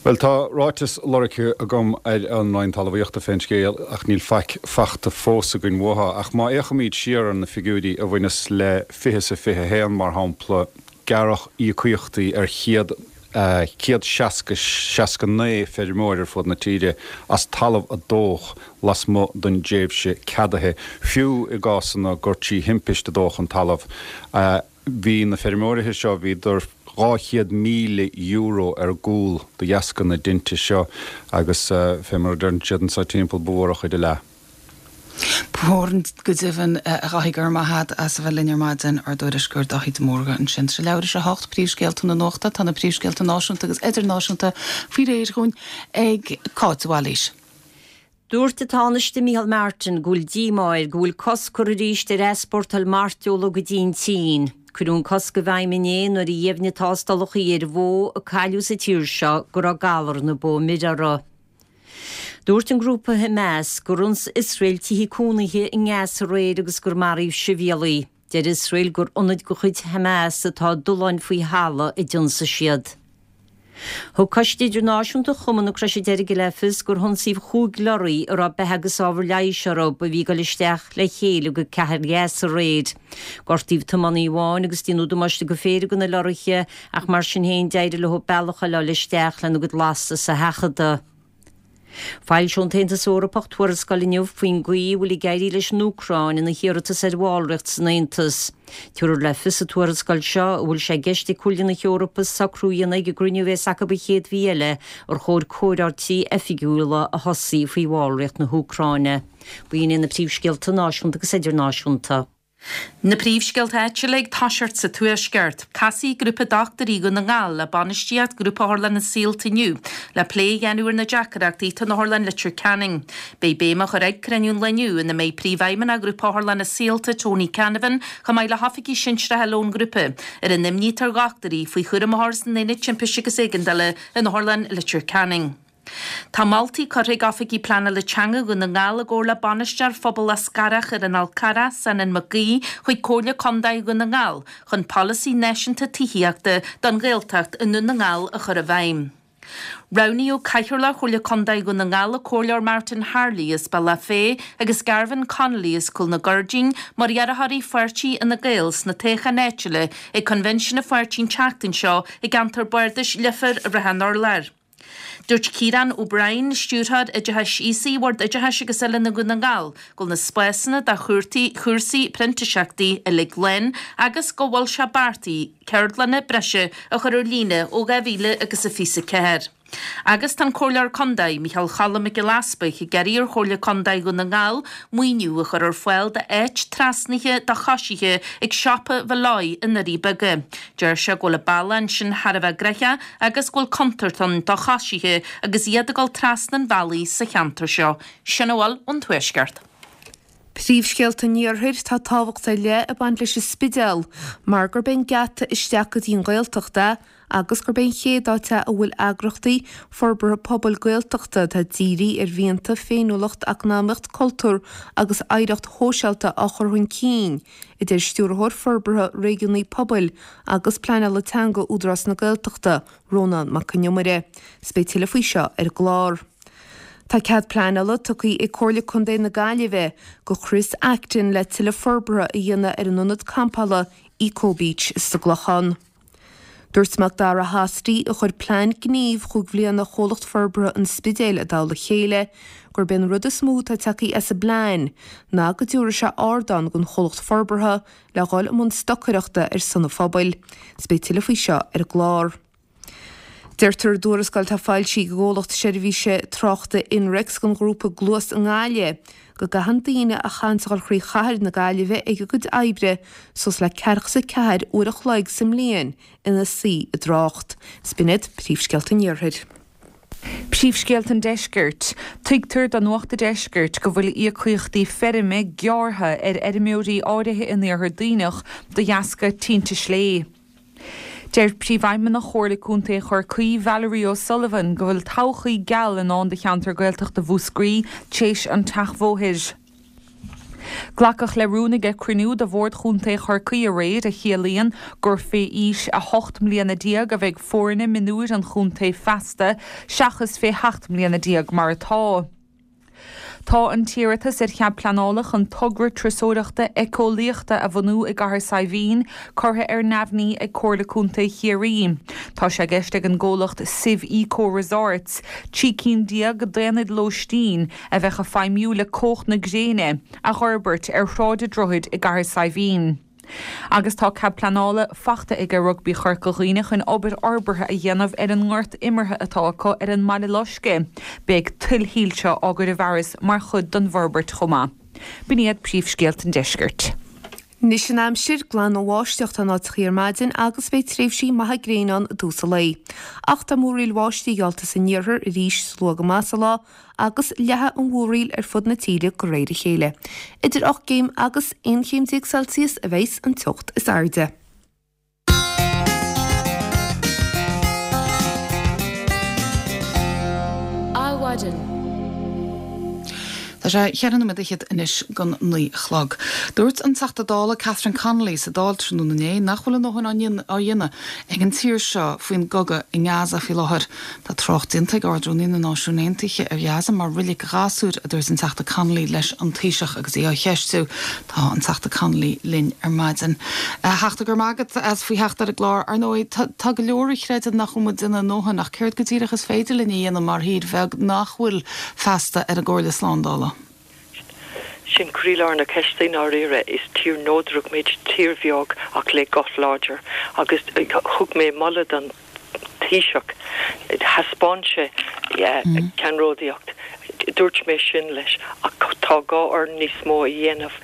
Bhuel, tá ráiteas lorgtha agam ar an Roinn Talmhaíochta fén scéal ach níl faic fachta fós againn uathu. Ach má fhéachaimíd siar ar na figiúirí a bhaineas le 20 is a 21, mar shampla, gearradh íocaíochtaí ar chéad, 160, 69 feirmeoir ar fud na tíre as talamh a dódh lasmuigh den dtréimhse ceadaithe, fiú i gcásanna gur trí thimpist a dódh an talamh. Bhí na feirmeoirithe seo, bhíodar €200,000 ar gcúl de dheasca na dtinte seo agus fé mar a deireann siad anso timpeall, ba mhór an chuid a leath. Ba mhór go deimhin, a Dháithí, go raibh maith agat as a bheith linn ar maidin, ár dtuairisceoir Dáithí de Mórdha ansin. Tá sé leathuair tar éis a hocht, príomhscéalta na nuachta, tá na príomhscéalta náisiúnta agus idirnáisiúnta faoi réir dhúinn ag Cáit de Bhailís. Dúirt an Tánaiste Micheál Martin go bhfuil díomá air go bhfuil cosc curtha arís ar easpórtáil mairteola go dtí an tSín. Cuireadh an cosc i bhfeidhm inné nuair a dheimhnigh tástálacha ar bhó a cailleadh sa tír seo go raibh galar na bó mire uirthi. Dúirt an grúpa Hamas gur ionsaigh Iosrael tithe cónaithe i nGaza aréir agus gur maraíodh sibhialaigh. Deir Iosrael gur ionaid de chuid Hamas atá i dtolláin faoi thalamh a d'ionsaigh siad. Thug Coiste Idirnáisiúnta Chumann na Croise Deirge le fios gur hionsaíodh chúig leoraí a raibh beatha agus ábhar leighis orthu a bhí ag dul isteach le chéile go cathair Ghaza aréir. Gortaíodh tiománaí amháin agus déanadh damáiste go phéire de na leoraithe ach mar sin féin d'éirigh leo bealach a fháil isteach lena gcuid lastas a sheachadadh. Foilseoidh an tAontas Eorpach tuarascáil inniu faoin gcaoi a bhfuil ag éirí leis an Úcráin ina hiarratas ar bhallraíocht san Aontas. Tabharfar le fios sa tuarascáil seo an bhfuil sé i gceist ag Comhairle na hEorpa socrú a dhéanamh ag an gcruinniú a bheas acu an chéad mhí eile ar chóir comhráití oifigiúla a thosaí faoi bhallraíocht na hÚcráine. B'in iad na príomhscéalta náisiúnta agus idirnáisiúnta. Na príomhscéalta áitiúla ag toiseacht sa Tuaisceart. Casfaidh grúpa dochtúirí Dhún na nGall le bainistíocht Ghrúpa Otharlanna Saolta inniu le plé a dhéanamh ar na deacrachtaí atá in Otharlann Leitir Ceanainn. Beidh béim á chur ag cruinniú an lae inniu ina mbeidh Príomhfheidhmeannach Ghrúpa Otharlanna Saolta Tony Canavan chomh maith le hoifigigh sinsearacha eile ón ngrúpa ar an imní atá ar dhochtúirí faoi chúram a chur san Aonad Timpiste agus Éigeandála in Otharlann Leitir Ceanainn. Tá moltaí curtha ag Oifigigh Pleanála Teanga Dhún na nGall i gcomhar le Bainisteoir Phobal Eascarrach ar an Fhál Carrach, Senan Mac Aoidh, chuig Comhairle Contae Dhún na nGall chun polasaí náisiúnta tithíochta don Ghaeltacht i nDún na nGall a chur i bhfeidhm. Roghnaíodh Cathaoirleach Chomhairle Contae Dhún na nGall, an Comhairleoir Martin Harley as Bealach Féich agus Garvan Connolly as Cúl na gCuirdín mar iarrthóirí pháirtí Fhine Gael sna toghcháin áitiúla ag Coinbhinsiún an pháirtí an tseachtain seo i gceantar bardais Leifear, Ráth an Urláir. Dúirt Ciarán O'Brien, Stiúrthóir Oideachais Aosaigh Bhord Oideachais agus Oiliúna Dhún na nGall, go bhfuil na spásanna do chúrtaí, chúrsaí printiseachtaí uilig lán agus go bhfuil sé beartaithe ceardlanna breise a chur ar líne ó 2000 agus a 24. Agus tá an Comhairleoir Contae, Micheál Choilm Mac Giolla Easbuig, ag iarraidh ar Chomhairle Contae Dhún na nGall maoiniú a chur ar fáil d'áit trasnaithe do choisithe ag siopa Mholloy i nDoirí Beaga. Deir sé go bhfuil an bealach ansin thar a bheith gnoitheach agus go bhfuil contúirt ann do choisithe agus iad ag dul trasna an bhealaigh sa cheantar seo. Sin a bhfuil ón Tuaisceart. Príomhscéalta an Iarthair, Tá tábhacht ar leith ag baint leis an Spidéal mar gurb é an geata isteach go dtí an Ghaeltacht é agus gurb é an chéad áit é a bhfuil eagrachtaí forbartha pobail Gaeltachta atá dírithe ar mhianta, féiniúlacht, eacnamaíocht, cultúr agus oidhreacht shóisialta á chur chun cinn, a deir Stiúrthóir Forbartha Réigiúnaí Pobail agus Pleanála Teanga Údarás na Gaeltachta, Rónán Mac Con Iomaire. 'S beidh tuilleadh faoi seo ar an gclár. Tá cead pleanála tugtha ag Comhairle Contae na Gaillimhe go Chris Acton le tuilleadh forbartha a dhéanamh ar an ionad campála Eco Beach sa gClochán. Dúirt Macdara Hosty, a chuir plean gnímh chúig bhliana Chomhlacht Forbartha an Spidéil i dtoll a chéile, gurb é an rud is mó atá tagtha as an bplean ná go dtabharfaidh sé ardán don chomhlacht forbartha le dhul i mbun stocaireachta ar son an phobail. 'S beidh tuilleadh faoi seo ar an gclár. Deirtear i dtuarascáil atá foilsithe ag an gcomhlacht seirbhíse tráchta Inrex don ghrúpa Gluas i nGaillimh go gcaitheann daoine a chaitheanns a dhul thrí chathair na Gaillimhe ag a gcuid oibre suas le 44 uair a chloig sa mbliain ina suí i dtrácht. 'S b'in iad príomhscéalta an Iarthair. Príomhscéalta an Deiscirt. Tuigtear do Nuacht an Deiscirt go bhfuil íocaíochtaí feirme gearrtha ar fheirmeoirí áirithe in Iarthar Duibhneach de dheasca tinte slé. Deir Príomhfheidhmeannach Chomhairle Contae Chorcaí, Valerie O'Sullivan, go bhfuil todhchaí geal i ndán do cheantar Gaeltachta Mhúscraí tar éis an tseachbhóthair. Glacadh le rún ag cruinniú de Bhord Chontae Chorcaí aréir a chiallaíonn gur fé aois 18 mbliana a bheidh foirne mionúir an chontae feasta seachas fé sheacht mbliana déag mar atá. Tá an t-iarratas ar chead pleanála chun togra turasóireachta éiceolaíochta a bhunú i gCathair Saidhbhín curtha ar neamhní ag Comhairle Contae Chiarraí. Tá sé i gceist ag an gcomhlacht Sive Eco Resorts 13 cinn d'aonaid lóistín, a bheadh ag feidhmiú le cumhacht na gréine, a dh'fhorbairt ar Shráid an Droichid i gCathair Saidhbhín. Agus tá cead pleanála fachta aige Rugbaí Chorca Dhuibhne chun obair fhorbartha a dhéanamh ar an ngort imeartha atá acu ar an mBaile Loiscthe. Beidh tuilshoilse á gcur i bhfearas mar chuid den bhforbairt chomh maith. B'in iad príomhscéalta an deiscirt. Anois an aimsir, glan nó báisteach atá in áiteachaí ar maidin agus beidh tréimhsí maithe gréine ann i dtús an lae. Ach tá múraíl bháistí geallta san iarthar arís luath go maith sa lá agus leathfaidh an mhúraíl ar fud na tíre de réir a chéile. Idir 8 gcéim agus 11 chéim Celsius a bheas an teocht is airde. Adhmhaidin. Tá sé cheithre nóiméad fhichead anois don naoi a chlog. Dúirt an Teachta Dála Catherine Connolly sa Dáil tráthnóna inné nach bhfuil a ndóthain á dhéanamh ag an tír seo faoin gcogadh i nGaza faoi láthair. Tá trácht déanta ag Ard-Rúnaí na Náisiún Aontaithe ar Ghaza mar roilig ghasúir, a dúirt an Teachta Connolly leis an Taoiseach agus í á cheistiú. Tá an Teachta Connolly linn ar maidin. A Theachta, go raibh maith agat as faoi theacht ar an gclár. Ar ndóigh, tá go leor a chreideann nach bhfuil muid ag déanamh a ndóthain, ach céard go díreach is féidir linn a dhéanamh mar thír bheag nach bhfuil feasta ar an gComhairle Slándála? Sin croílár na ceiste i ndáiríre. Is tír neodrach muid, tír bheag ach le guth láidir. Agus thug mé moladh don. Taoiseach. Thaispeáin sé ceannródaíocht. Dúirt mé sin leis ach tá gá orainn níos mó a dhéanamh.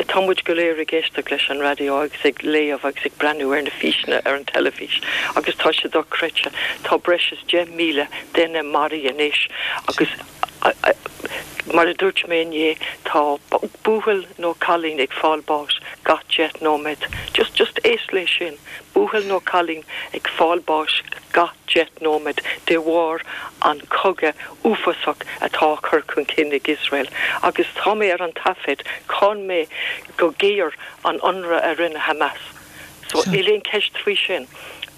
Tá muid go léir ag éisteacht leis an raidió agus ag léamh agus ag breathnú ar na físeanna ar an teilifís agus tá sé dochreidte. Tá breis is 10,000 duine maraithe anois agus mar a dúirt mé inné, tá buachaill nó cailín ag fáil báis gach 10 nóiméad. Just, just éist leis sin. Buachaill nó cailín ag fáil báis gach 10 nóiméad de bharr an cogadh uafásach atá á chur chun cinn ag Iosrael. Agus tá mé ar an taifead, cháin mé go géar an ionradh a rinne Hamas. So níl aon cheist faoi sin.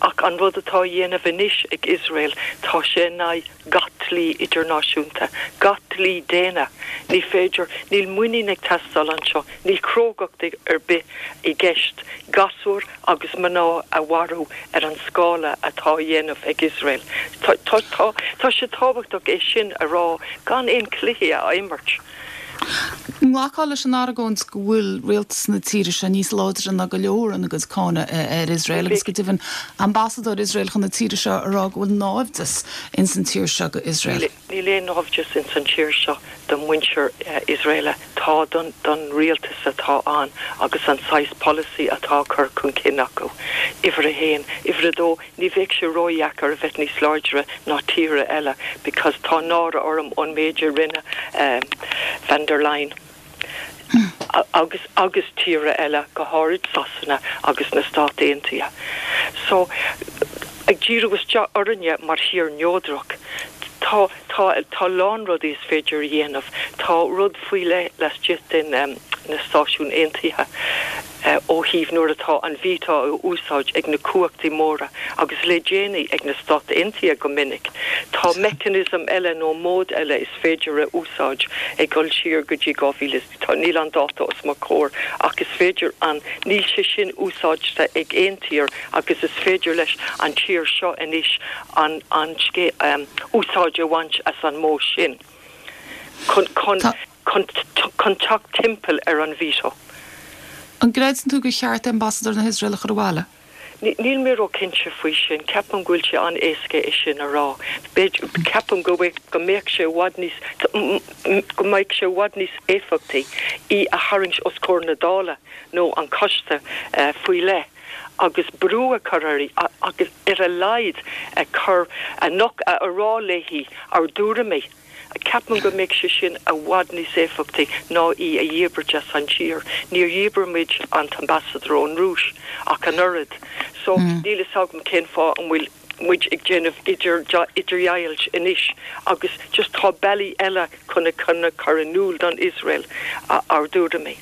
Ach an rud atá á dhéanamh anois ag Iosrael, tá sé in aghaidh gach dlí idirnáisiúnta, gach dlí daonna. Ní féidir, níl muinín ag teastáil anseo, níl crógacht ar bith i gceist gasúir agus mná a mharú ar an scála atá á dhéanamh ag Iosrael. Tá, tá, tá, tá sé tábhachtach é sin a rá gan aon cluichí a imirt. An nglacfá leis an argóint go bhfuil rialtas na tíre seo níos láidre ná go leor ina gcuid cáineadh ar Iosrael agus go deimhin ambasadóir Iosrael chun na tíre seo a rá go bhfuil náimhdeas ins an tír seo go Iosrael? Níl aon náimhdeas ins an tír seo do mhuintir Iosrael. Tá don rialtas atá ann agus an saghas polasaí atá á chur chun cinn acu. Uimhir a haon. Uimhir a dó, Ní bheadh sé ródheacair a bheith níos láidre ná tíortha eile because tá náire orm ón méid a rinne Von der Leyen agus agus tíortha eile, go háirid Sasana agus na Stáit Aontaithe. So, ag díriú isteach orainne mar thír neodrach, tá tá tá lán rudaí is féidir a dhéanamh. Tá rud faoi leith laistigh den na Stáisiún Aontaithe. Ó thaobh nuair atá an veto á úsáid ag na cumhachtaí móra agus le déanaí ag na Stáit Aontaithe go minic, tá mechanism eile nó mód eile is féidir a úsáid ag dul siar go dtí 2000, tá, níl an dáta os mo chomhair ach is féidir an, níl sé sin úsáidte ag aon tír agus is féidir leis an tír seo anois an, an, úsáid a bhaint as an modh sin chun, chun. chun teacht timpeall ar an veto. An gcreideann tú gur cheart ambasadóir na hIosrael a chur abhaile? Níl mé ró-chinnte faoi sin. Ceapaim go bhfuil sé an-éasca é sin a rá. B'fhéidir, ceapaim go go mbeadh sé i bhfad níos, go mbeadh sé i bhfad níos éifeachtaí í a tharraingt os comhair na Dála nó an coiste faoi leith agus brú a chur uirthi agus ar a laghad a chur, a rá léi ár dtuairimí. Ceapaim go mbeadh sé sin i bhfad níos éifeachtaí ná í a dhíbirt as an tír. Níor dhíbir muid an t-ambasadóir ón Rúis ach an oiread. So, níl fhios agam cén fáth an bhfuil muid ag déanamh idirdheighilt anois agus just tá bealaí eile chun a chur in iúl don Iosrael ár dtuairimí.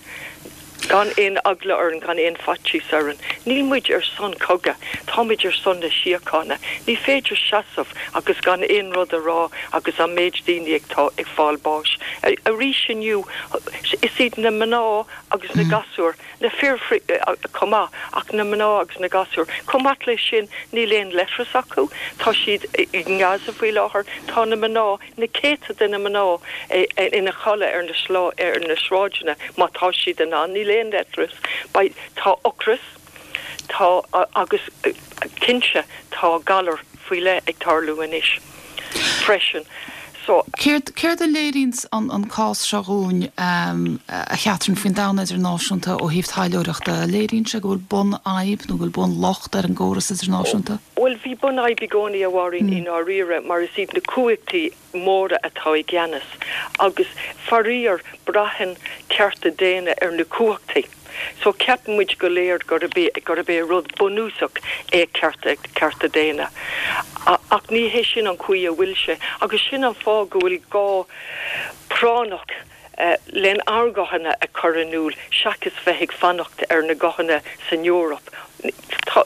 Gan aon eagla orainn, gan aon faitíos orainn. Níl muid ar son cogadh, táimid ar son na síochána. Ní féidir seasamh agus gan aon rud a rá agus an méid daoine atá ag fáil báis. Arís inniu, is iad na mná agus na gasúir, na fir chomh maith, ach na mná agus na gasúir. Chomh maith leis sin, níl aon leithreas acu, tá siad i nGaza faoi láthair, tá na mná, na céadta de na mná ina chodladh ar na ar na sráideanna má tá siad in ann, níl aon leithreas, beidh, tá ocras, tá agus cinnte tá galar faoi leith ag tarlú anois freisin so. Céard, céard a léiríonns an an cás seo dhúinn, a Chatherine, faoin domhan idirnáisiúnta ó thaobh taidhleoireachta? Léiríonn sé go bhfuil bunfhadhb nó go bhfuil bunlocht ar an gcóras idirnáisiúnta? Bhuel, bhí bunfhadhb i gcónaí, a Mháirín, i ndáiríre, mar is iad na cumhachtaí móra atá i gceannas, agus faraor, braitheann cearta daonna ar na cumhachtaí. So, ceapann muid go léir gurb é, gurb é rud bunúsach é cearta, cearta daonna. Ach ní hé sin an chaoi a bhfuil sé, agus sin an fáth go bhfuil gá práinneach lenár nguthanna a chur in iúl seachas bheith ag fanacht ar na guthanna san Eoraip. Tá,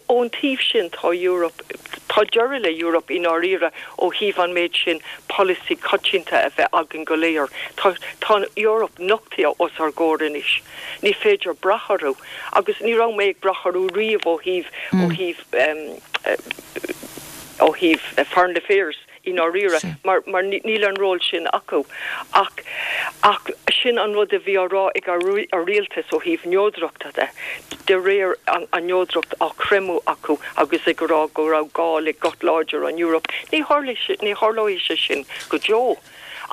ón taobh sin, tá Europe, tá deireadh le Europe i ndáiríre ó thaobh an méid sin polasaí coitianta a bheith againn go léir. Tá, tá an Eoraip nochtaithe os ár gcomhair anois. Ní féidir brath orthu agus ní raibh mé ag brath orthu riamh ó thaobh, ó thaobh, ó thaobh foreign affairs. i ndáiríre, mar, mar níl an ról sin acu. Ach, ach sin an rud a bhí á rá ag ár rialtas ó thaobh neodrachta de, de réir an, an neodracht á creimeadh acu agus ag rá go raibh gá le guth láidir ón Eoraip. Ní tharlóidh sé, ní tharlóidh sé sin go deo.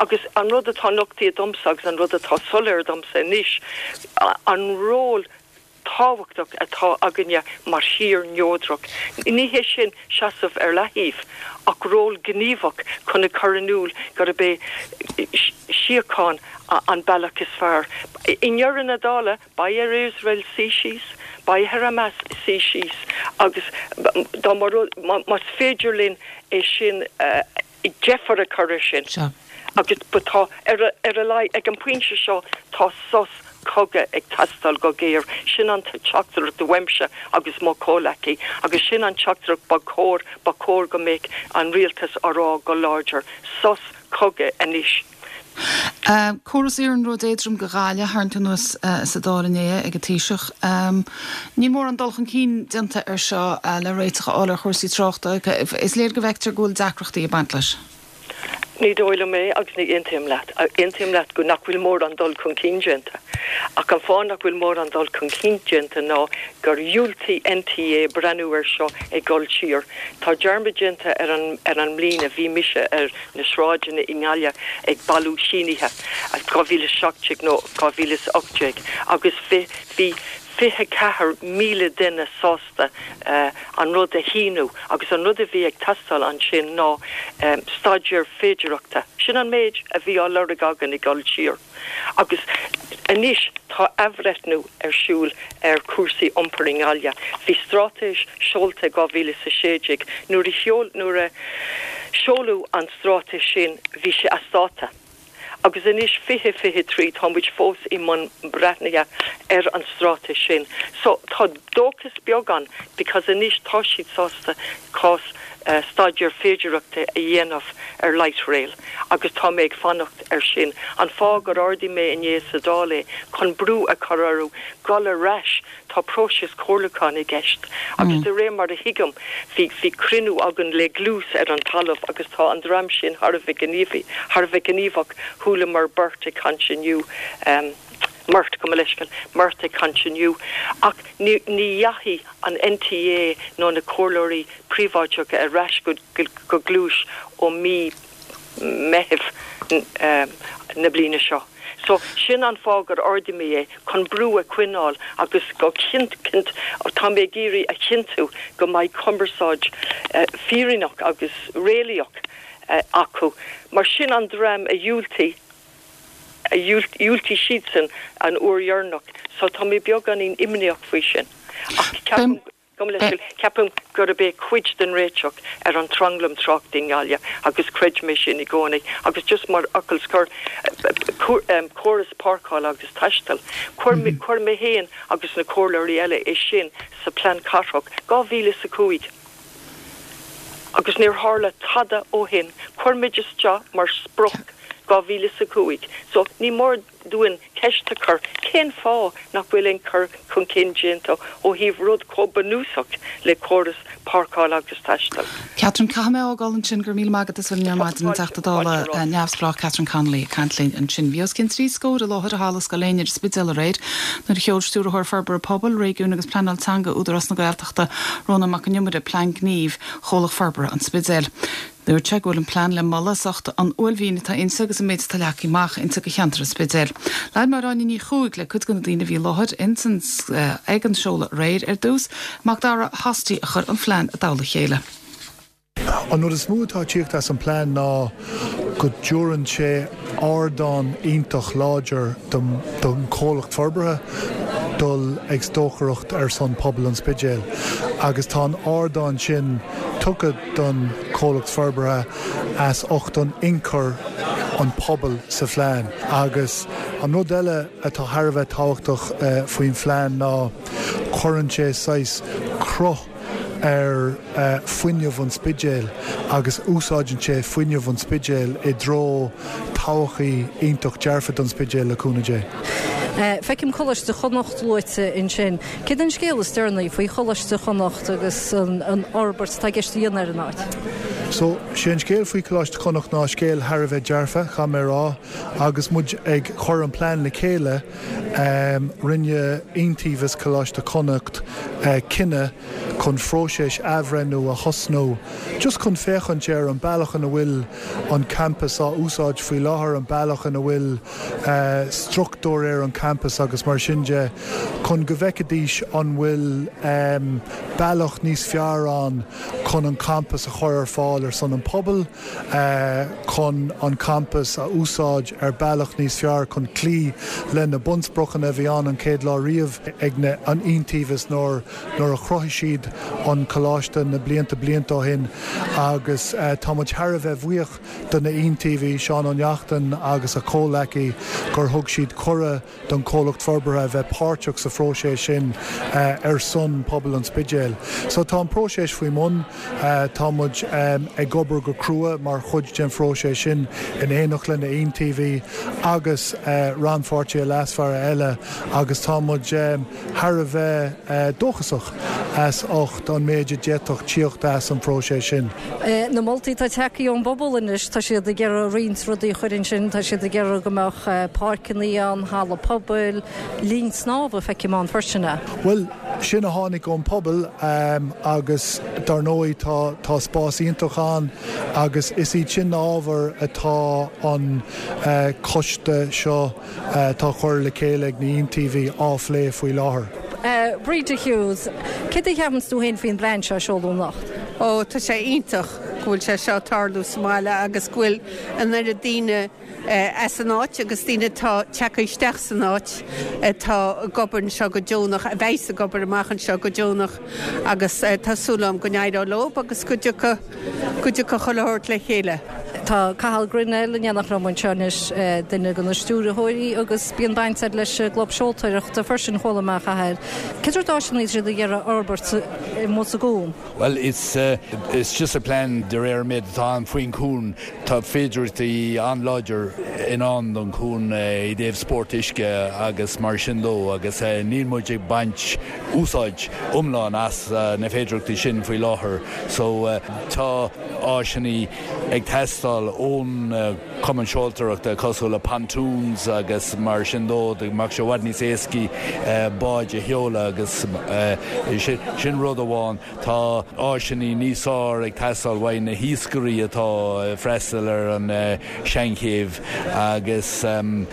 Agus an rud atá nochtaithe domsa agus an rud atá soiléir domsa anois, an ról tábhachtach atá againne mar thír neodrach. Ní hé sin seasamh ar leathaobh, ach ról gníomhach chun a chur in iúl gurb é síocháin an bealach is fearr. I ndeireadh na dála, beidh ar Iosrael suí síos, beidh ar Hamas suí síos agus dá mba rud, más féidir linn é sin deifir a chur air sin. Agus but tá, ar ar a laghad, ag an bpointe seo, tá sos cogaidh ag teastáil go géar. Sin an teachtaireacht uaimse agus mo chomhleacaí agus sin an teachtaireacht ba chóir, ba chóir go mbeadh an rialtas á rá go láidir, sos cogaidh anois. Córas iarnróid éadroim go Gaillimh tarraingthe anuas sa Dáil inné ag an Taoiseach. Níl mórán dul chun cinn déanta ar seo le réiteach a fháil ar chúrsaí tráchta. Is léir go bhfeictear go bhfuil deacrachtaí ag baint leis. Ní dóigh liom é agus ní aontaím leat. Aontaím leat go nach bhfuil mórán dul chun cinn déanta. Ach an fáth nach bhfuil mórán dul chun cinn déanta ná gur dhiúltaigh NTA breathnú air seo ag dul siar. Tá dearmad déanta ar an ar an mbliain a bhí mise ar na sráideanna i nGaillimh ag bailiú sínithe, 2017 nó 2018, agus bhí 24,000 duine sásta an rud a shíniú agus an rud a bhí ag teastáil ansin ná staidéar féidearthachta. Sin an méid a bhí á lorg againn ag dul siar. Agus anois tá athbhreithniú ar siúl ar chúrsaí iompair i nGaillimh. Bhí straitéis seolta i 2016. Nuair a sheol, nuair a seoladh an straitéis sin bhí sé as dáta. Agus anois 2023 tá muid fós i mbun breathnaithe ar an straitéis sin. So tá dóchas beag ann because anois tá siad sásta cás staidéar féidearthachta a dhéanamh ar light rail agus tá mé ag fanacht ar sin. An fáth gur ardaigh mé inné sa Dáil é chun brú a chur orthu dul ar ais Tá próiseas comhairliúcháin i gceist agus de réir mar a thuigim bhí bhí cruinniú againn le Dlús ar an talamh agus tá an dream sin thar a bheith gníomhaí, thar a bheith gníomhach. Chualamar beirt ag caint inniu, Murt, gabh mo leithscéal, Murt ag caint inniu. Ach ní ní dheachaigh an NTA nó na comhairleoirí príobháideacha ar ais go go Dlús ó mí Meitheamh na bliana seo. So, sin an fáth gur ardaigh mé é, chun brú a choinneáil agus go cinnt, tá mé ag iarraidh a chinntiú go mbeidh cumarsáid fírinneach agus réalaíoch acu, mar sin an dream a dhiúltaigh, a dhiúltaigh siadsan an uair dheireanach, so tá mé beagáinín imníoch faoi sin. Ach ceapaim. Gabh mo leithscéal, ceapaim gurb é cuid den réiteach ar an tranglam tráchta i nGaillimh agus chreid mé sin i gcónaí agus just mar fhocal scoir, córas páirceála agus taistil, chuir mé, chuir mé féin agus na comhairleoirí eile é sin sa plean cathrach 2005 agus níor tharla tada ó shin, chuir muid isteach mar sprioc 2005 so ní mór dúinn ceist a chur, cén fáth nach bhfuil aon chur chun cinn déanta ó thaobh rud chomh bunúsach le córas páirceála agus taistil? Catherine, Caithfidh mé fhágáil ansin, go raibh míle maith agat as a bheith linn ar maidin, an Teachta Dála neamhspleách Catherine Connolly ag caint linn ansin. Bhí os cionn 30 scór i láthair i Halla Scoil Éinne ar an Spidéal aréir nuair a sheol Stiúrthóir Forbartha Pobail, Réigiúin agus Pleanáil Teanga Údarás na Gaeltachta, Rónán Mac Con Iomaire, Plean Gnímh Chomhlacht Forbartha an Spidéil. Dúirt sé go bhfuil an plean le moladh as ucht an uaillmhian atá inti agus an méid atá leagtha amach inti do cheantar an Spidéil. Labhair Máire Áine Ní Chuaig le cuid de na daoine a bhí i láthair ins an ag an seoladh aréir. Ar dtús, Macdara Hosty a chuir an phlean i dtoll a chéile. An rud is mó atá ag tíocht as an plean ná go dtabharann sé ardán iontach láidir don chomhlacht forbartha dul ag stocaireacht ar son pobal an Spidéil agus tá an ardán sin tugtha don chomhlacht forbartha as ucht an ionchur an pobal sa phlean. Agus an rud eile atá thar a bheith tábhachtach faoin phlean ná cuireann sé saghas cruth ar fuinneamh an Spidéil agus úsáideann sé fuinneamh an Spidéil i dtreo todhchaí iontach dearfa don Spidéal le cúnamh Dé. Feicim Coláiste Chonnacht luaite ansin. Céard é an scéal is deireanaí faoi Choláiste Chonnacht agus an fhorbairt atá i gceist a dhéanamh ar an áit? So, sé an scéal faoi Choláiste Chonnacht ná scéal thar a bheith dearfa, caithfidh mé a rá. Agus muid ag cur an plean le chéile, rinne Iontaobhas Choláiste Chonnacht cinneadh chun phróiseas athbhreithniú a thosnú just chun féachaint ar an bealach ina bhfuil an campas á úsáid faoi láthair, an bealach ina bhfuil struchtúr ar an champas agus mar sin de, chun go bhfeicfidís an bhfuil bealach níos fearr ann chun an campas a chur ar fáil ar son an pobail, chun an campas a úsáid ar bealach níos fearr chun cloí le na bunspriocanna a bhí ann an chéad lá riamh ag an Iontaobhas nuair nuair a chruthaigh siad an coláiste na blianta blianta ó shin agus tá muid thar a bheith bhuíoch do na hIontaobhaí, Seán Ó Neachtain agus a chomhleacaí gur thug siad cuireadh don chomhlacht forbartha a bheith páirteach sa phróiseas sin ar son pobal an Spidéil. So tá an próiseas faoi mbun, tá muid ag obair go crua mar chuid den phróiseas sin in éineacht le na hIontaobhaí agus rannpháirtithe leasmhara eile agus tá muid thar a bheith dóchasach as ucht an méid a d'fhéadfadh tíocht as an phróiseas sin. Na moltaí atá tagtha ón bpobal anois, tá siad ag iarraidh roinnt rudaí a chur ansin, tá siad ag iarraidh go mbeadh páirceanna ann, halla pobail, linn snámha, feicim ann freisin. Bhuel, sin a tháinig ón pobal agus dar ndóigh tá tá spás iontach ann agus is iad sin na ábhair atá an coiste seo atá á chur le chéile ag na hIontaobhaí á phlé faoi láthair. Breda Hughes, Céard a cheapanns tú féin faoin bplean seo a seoladh anocht? Ó, tá sé iontach go bhfuil sé seo ag tarlú sa mbaile agus go bhfuil an oiread daoine as an áit agus daoine atá tagtha isteach san áit atá ag obair anseo go deonach, a bheas ag obair amach anseo go deonach agus tá súil agam go n-éireoidh leo agus go dtiocfaidh, go dtiocfaidh chuile shórt le chéile. Tá Cathal Grennell in éineacht liom anseo anois, duine de na stiúrthóirí agus bíonn baint agat leis an gclub seoltóireachta freisin, chuala mé, a Chathail. Cén sórt áiseanna atá siad ag iarraidh a fhorbairt amuigh sa gcuan? Bhuel, is just a plean de réir an méid atá ann faoin chuan. Tá féidearthachtaí an-láidir i ndán don chuan i dtaobh spórt uisce agus mar sin dó agus níl muid ag baint úsáid iomlán as na féidearthachtaí sin faoi láthair. So tá áiseanna ag teastáil ón Cumann Seoltóireachta cosúil le pontoons agus mar sin dó go mbeadh sé i bhfad níos éascaí báid a sheoladh agus sin rud amháin. Tá áiseanna níos fearr ag teastáil uaidh na hiascairí atá ag freastal ar an Seanchéibh agus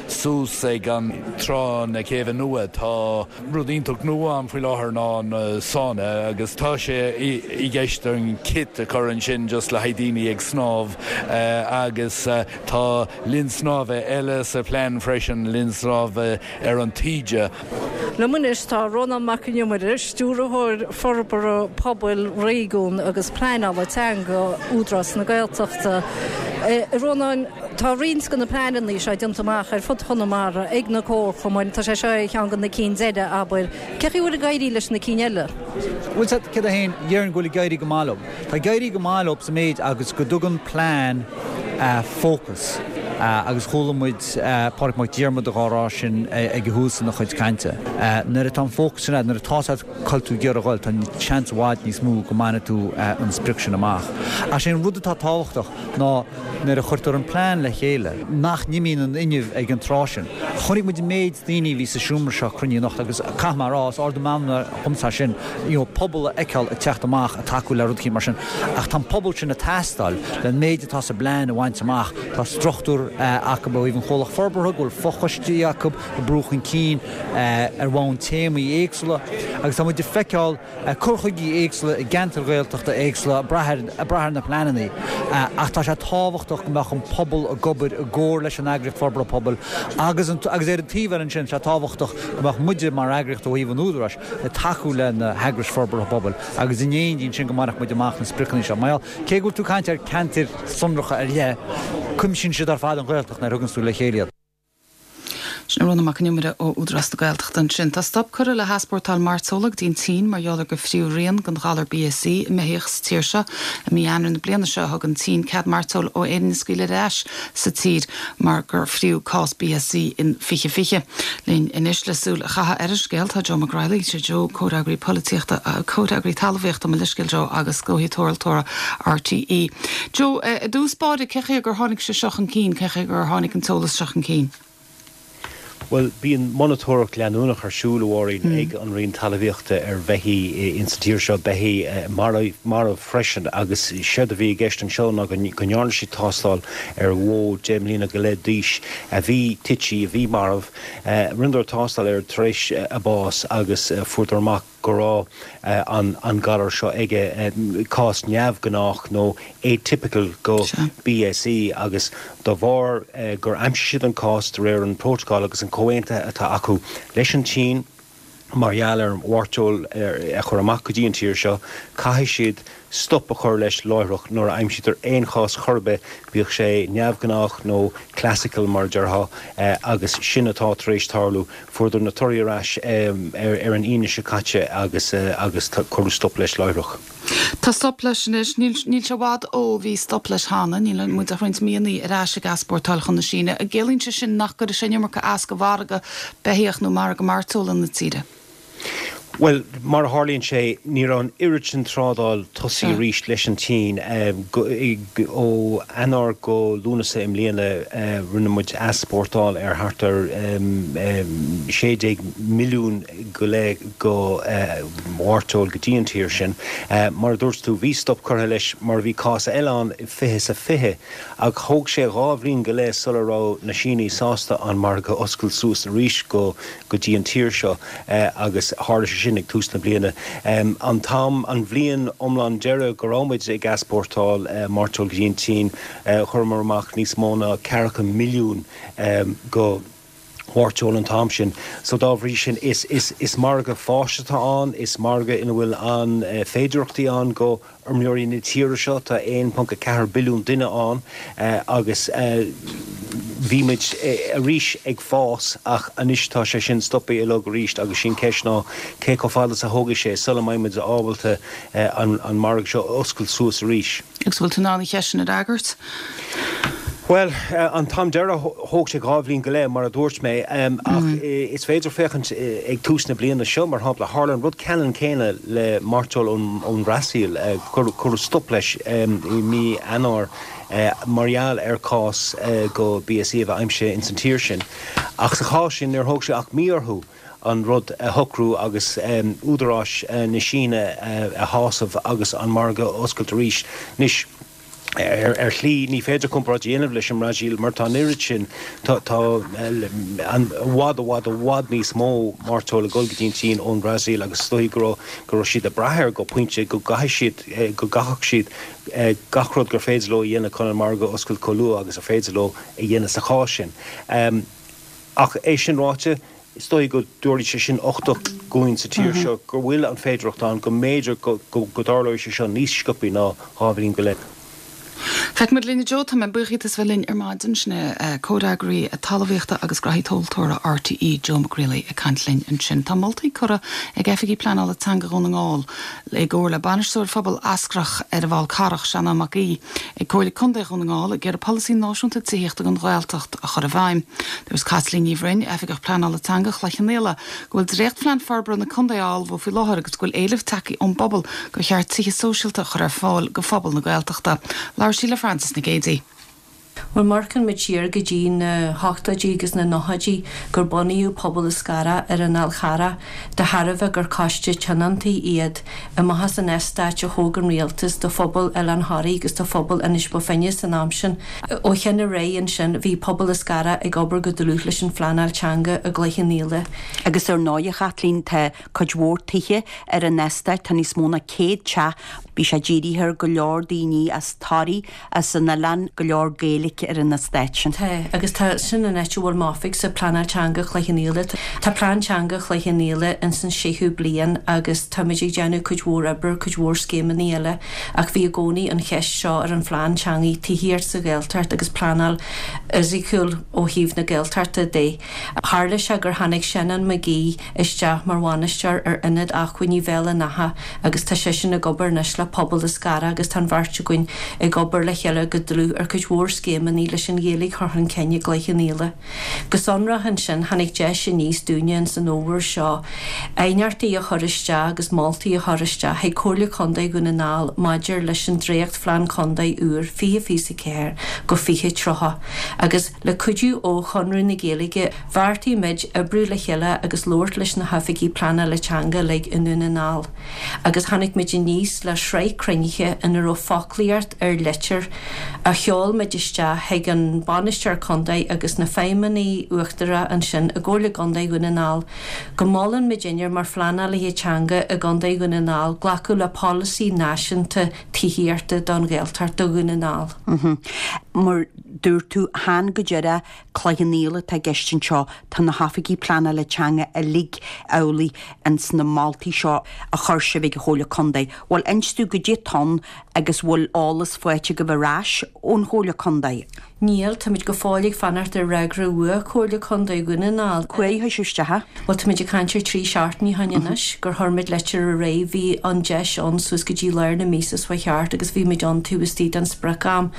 suas ag an trá na Céibhe Nua. Tá rud iontach nua ann faoi láthair ná an sauna agus tá sé i gceist an kit a chur ansin just le haghaidh daoine ag snámh agus tá linn snámha eile sa phlean freisin, linn snámha ar an taoide. Liom anois tá Rónán Mac Con Iomaire, Stiúrthóir Forbartha Pobail, Réigiún agus Pleanála Teanga, Údarás na Gaeltachta. A Rónáin, tá roinnt de na pleananna seo déanta amach ar fud Chonamara ag na comharchumainn, tá sé seo ar cheann de na cinn deiridh, abair. Cén chaoi a bhfuil ag éirí leis na cinn eile? Bhuel, céard é féin, déarfainn go bhfuil ag éirí go maith leo. Tá ag éirí go maith leo sa méid agus go dtugann plean fócas agus chuala muid Pádraig Mac Diarmada dhá rá sin ag an thús ina chuid cainte. Nuair atá an fócas sin agat, nuair atá 's agat cá bhfuil tú ag iarraidh a dhul, tá seans i bhfad níos mó go mbainfidh tú an sprioc sin amach. Ach sé an rud atá tábhachtach ná nuair a chuirtear an plean le chéile, nach n-imíonn an fhuinneamh ag an tráth sin. Chonaic muid an méid daoine a bhí sa seomra seo cruinnithe anocht agus caithfidh mé a rá, is ardú meanmna dhomsa é sin, you know, pobal a fheiceáil ag teacht amach ag tacú le rud eicínt mar sin. Ach tá an pobal sin ag teastáil le an méid atá sa bplean a bhaint amach. Tá struchtúr acu ó thaobh an chomhlacht forbartha, go bhfuil fochoistí acu ag brú chun cinn ar bhonn téamaí éagsúla agus tá muid ag feiceáil cur chuigí éagsúla i gceantair Ghaeltachta éagsúla ag brath ar na pleananna ach tá sé tábhachtach go mbeadh an pobal ag obair i gcomhar leis an eagraíocht forbartha pobail agus agus ar an taobh eile ansin tá sé tábhachtach go mbeadh muide mar eagraíocht ó thaobh an Údaráis ag tacú le na heagrais forbartha pobail agus in éindí ansin go mbainfeadh muid amach na spriocanna seo. Mar gheall, cé go bhfuil tú ag caint ar ceantair sonracha ar leith, cuimsíonn siad ar fad an Ghaeltacht nuair a thuganns tú le chéile iad. Sin Rónán Mac Con Iomaire ó Údarás na Gaeltachta ansin. Tá stop curtha le heaspórtáil mairteola go dtí an tSín mar gheall ar gur fríodh rian den ghalar BSE i mbeithíoch sa tír seo. I mí Eanáir na bliana seo thug an tSín cead mairteoil ó Éirinn a scaoileadh ar ais sa tír mar gur fríodh cás BSE in 2020. Linn anois le súil a chaitheamh ar an scéal tá Joe Mac Raghallaigh. Sé Joe comhfhreagraí polaitíochta, comhfhreagraí talmhaíochta, mo leithscéal Joe, agus gnóthaí tomhaltóra RTÉ. Joe, i dtús báire, cén chaoi gur tháinig sé seo chun cinn, cén chaoi gur tháinig an t-eolas seo chun cinn? Bhuel, bíonn monatóireacht leanúnach ar siúl, a Mháirín, ag an Roinn Talmhaíochta ar bheithígh ins an tír seo, beithígh marbh freisin, agus séard a bhí i gceist anseo ná go ndearna siad tástáil ar bhó deich mbliana go leith d'aois a bhí tite, a bhí marbh. Rinneadar tástáil air tar éis a bás agus fuaireadar amach go raibh an galar seo aige, cás neamhghnách nó atypical go BSE agus de bharr gur aimsigh siad an cás de réir an prótacal agus an comhaontaithe atá acu leis an tSín mar gheall ar mhairteoil a chur amach go dtí an tír seo, caithfidh siad stop a chur leis láithreach nuair a aimsítear aon chás chor ar bith, bíodh sé neamhghnách nó classical mar a déarfá, agus sin atá tar éis tarlú. Fuaireadar na torthaí ar ais ar an Aoine seo caite agus agus cuireadh stop leis láithreach. Tá stop leis anois. Níl níl sé i bhfad ó bhí stop leis cheana. Níl muid ach roinnt míonna ar ais ag easpórtáil chun na Síne. An gciallaíonn sé sin nach gcuirfidh sé an iomarca as go mhargadh beithíoch nó margadh mairteola na tíre? Bhuel, mar a tharlaíonn sé, ní raibh an oiread sin trádáil tosaithe arís leis an tSín. Ó Eanáir go Lúnasa i mbliana, rinne muid easpórtáil ar thart ar 16 milliún go leith go mhairteoil go dtí an tír sin. Mar a dúirt tú, bhí stop curtha leis mar bhí cás eile ann i 20 is 20 Ach thóg sé dhá bhliain go leith sula raibh na Sínigh sásta an margadh a oscailt suas arís go go dtí an tír seo agus tharla sé sin ag tús na bliana. An t-am, an bhliain iomlán deiridh go raibh muid ag easpórtáil mairteoil go dtí an tSín, chuireamar amach níos mó ná ceathracha milliún go. mhairteoil an t-am sin. So dá bhrí sin is, is, is margadh fáis atá ann, is margadh ina bhfuil an-féidireachtaí ann go fheirmeoirí na tíre seo. Tá 1.4 billiún duine ann agus bhí muid arís ag fás ach anois tá sé sin stoptha uilig arís agus sí an ceist ná cé chomh fada is a thógfaidh sé sula mbeidh muid ábalta an margadh seo a oscailt suas arís. Agus bhfuil tú in ann an cheist sin a fhreagairt? Bhuel, an t-am deireadh thóg sé 2 bhliain go leith, mar a dúirt mé, ach is féidir féachaint ag tús na bliana seo, mar shampla, tharla an rud ceannann céanna le mairteoil ón Bhrasaíl, cuireadh stop leis i mí Eanáir mar gheall ar chás go BSE a bheith aimsithe ins an tír sin. Ach sa chás sin, níor thóg sé ach mí orthu an rud a shocrú agus údaráis na Síne a shásamh agus an margadh a oscailt arís. Anois, ar shlí, ní féidir comparáid a dhéanamh leis an mBrasaíl mar tá an oiread sin, tá i bhfad, i bhfad, i bhfad níos mó mairteoil ag dul go dtí an tSín ón mBrasaíl agus is dóigh go raibh, go raibh siad ag brath air go pointe go gcaithfidh siad, go gcaithfeadh siad gach rud gur féidir leo a dhéanamh chun an margadh a oscailt chomh luath agus ar féidir leo a dhéanamh sa chás sin. Ach é sin ráite, Is dóigh go dtabharfaidh sé sin uchtach dhúinn sa tír seo go bhfuil an féidearthacht ann go mb'fhéidir go dtarlóidh sé seo níos sciobthaí ná 2 bhliain go leith. Feicfimid linn a Joe, tá mé buíoch díot as bheith linn ar maidin. Sin é Comhfhreagraí Talmhaíochta agus Graithí Tomhaltóra RTÉ, Joe Mac Riollaigh ag caint linn ansin. Tá moltaí curtha ag Oifigigh Pleanála Teanga Dhún na nGall i gcomhar le Bainisteoir Phobal Eascarrach ar an bhFál Carrach, Seanán Mac Aoidh, ag Comhairle Contae Dhún na nGall ag iarraidh polasaí náisiúnta tithíochta don Ghaeltacht a chur i bhfeidhm. Dúirt Caitlín Ní Bhroin, Oifigeach Pleanála Teanga Chloich Cheann Fhaola, go bhfuil dréachtphlean forbartha na contae á ullmhú faoi láthair agus go bhfuil éileamh tagtha ón bpobal gur cheart tithe sóisialta a chur ar fáil go phobal na Gaeltachta. Labhair sí le Frances Nic Géadaigh. Bhuel, má amharcann muid siar go dtí na hochtóidí agus na nóchaidí gur bunaíodh Pobal Eascarrach ar an Fhál Charrach de thairbhe gur coiste tionóntaí iad amach as an eastáit a thóg an rialtas do phobal Oileán Thoraí agus do phobal Inis Bó Finne san am sin. Ó shin ar aghaidh ansin bhí Pobal Eascarrach ag obair go dlúth leis an phleanáil teanga i gCloich Cheann Fhaola. Agus ar ndóigh, a Chaitlín, tá cuid mhór tithe ar an eastát, tá níos mó ná 100 teach. Bhí sé dírithe ar go leor daoine as Toraigh, as an oileán, go leor Gaeilge ar an eastát sin. Tá, agus tá, sin an áit a bhfuil m'oifigse, Pleanáil Teanga Chloich Cheann Fhaola. Tá Plean Teanga Chloich Cheann Fhaola ins an séú bliain agus táimid ag déanamh cuid mhór oibre, cuid mhór scéimeanna eile ach bhí i gcónaí an cheist seo ar an phlean teangaidh tithíocht sa Ghaeltacht agus pleanáil fhisiciúil ó thaobh na Gaeltachta de. Tharla sé gur tháinig Seanán Mac Aoidh isteach mar bhainisteoir ar Ionad Acmhainní Bhéal an Átha agus tá seisean ag obair anois le pobal Eascarrach agus tá an bheirt againn ag obair le chéile go dlúth ar cuid mhór scéimeanna leis an Ghaeilge a chur chun cinn i gCloich Cheann Fhaola. Go sonrach ansin tháinig deis aníos dúinne ins an fhómhar seo aighneachtaí a chur isteach agus moltaí a chur isteach chuig Comhairle Contae Dhún na nGall maidir leis an dréachtphlean contae úr 2024-2030 agus le cuidiú ó Chonradh na Gaeilge bheartaigh muid oibriú le chéile agus labhairt leis na hoifigigh pleanála teanga uilig i nDún na nGall agus tháinig muid aníos le sraith cruinnithe ina raibh foclaíocht ar litir a sheol muid isteach chuig an Bainisteoir Contae agus na feidhmeannaigh uachtaracha ansin i gComhairle Contae Dhún na nGall go molann muidinne mar phleanálaithe teanga i gContae Dhún na nGall glacadh le polasaí náisiúnta tithíochta don Ghaeltacht do Dhún na nGall. Mar dúirt tú, chan go díreach Cloich Cheann Fhaola atá i gceist anseo, tá na hoifigigh pleanála teanga uilig amhlaidh ins na moltaí seo a chuir sibh ag an Chomhairle Contae. Bhuel, inis dúinn goidé atá ann agus bhfuil eolas faighte agaibh ar ais ón Chomhairle Contae? Níl, táimid go fóill ag fanacht ar fhreagra uaidh Comhairle Contae Dhún na nGall. Cá huair a chuir sibh isteach é? Bhuel, táimid ag caint ar 3 seachtainí ó shin anois gur chuir muid litir ar aghaidh. Bhí an deis ann suas go dtí lár na míosa seo thart agus bhí muid ann taobh istigh den sprioc-am.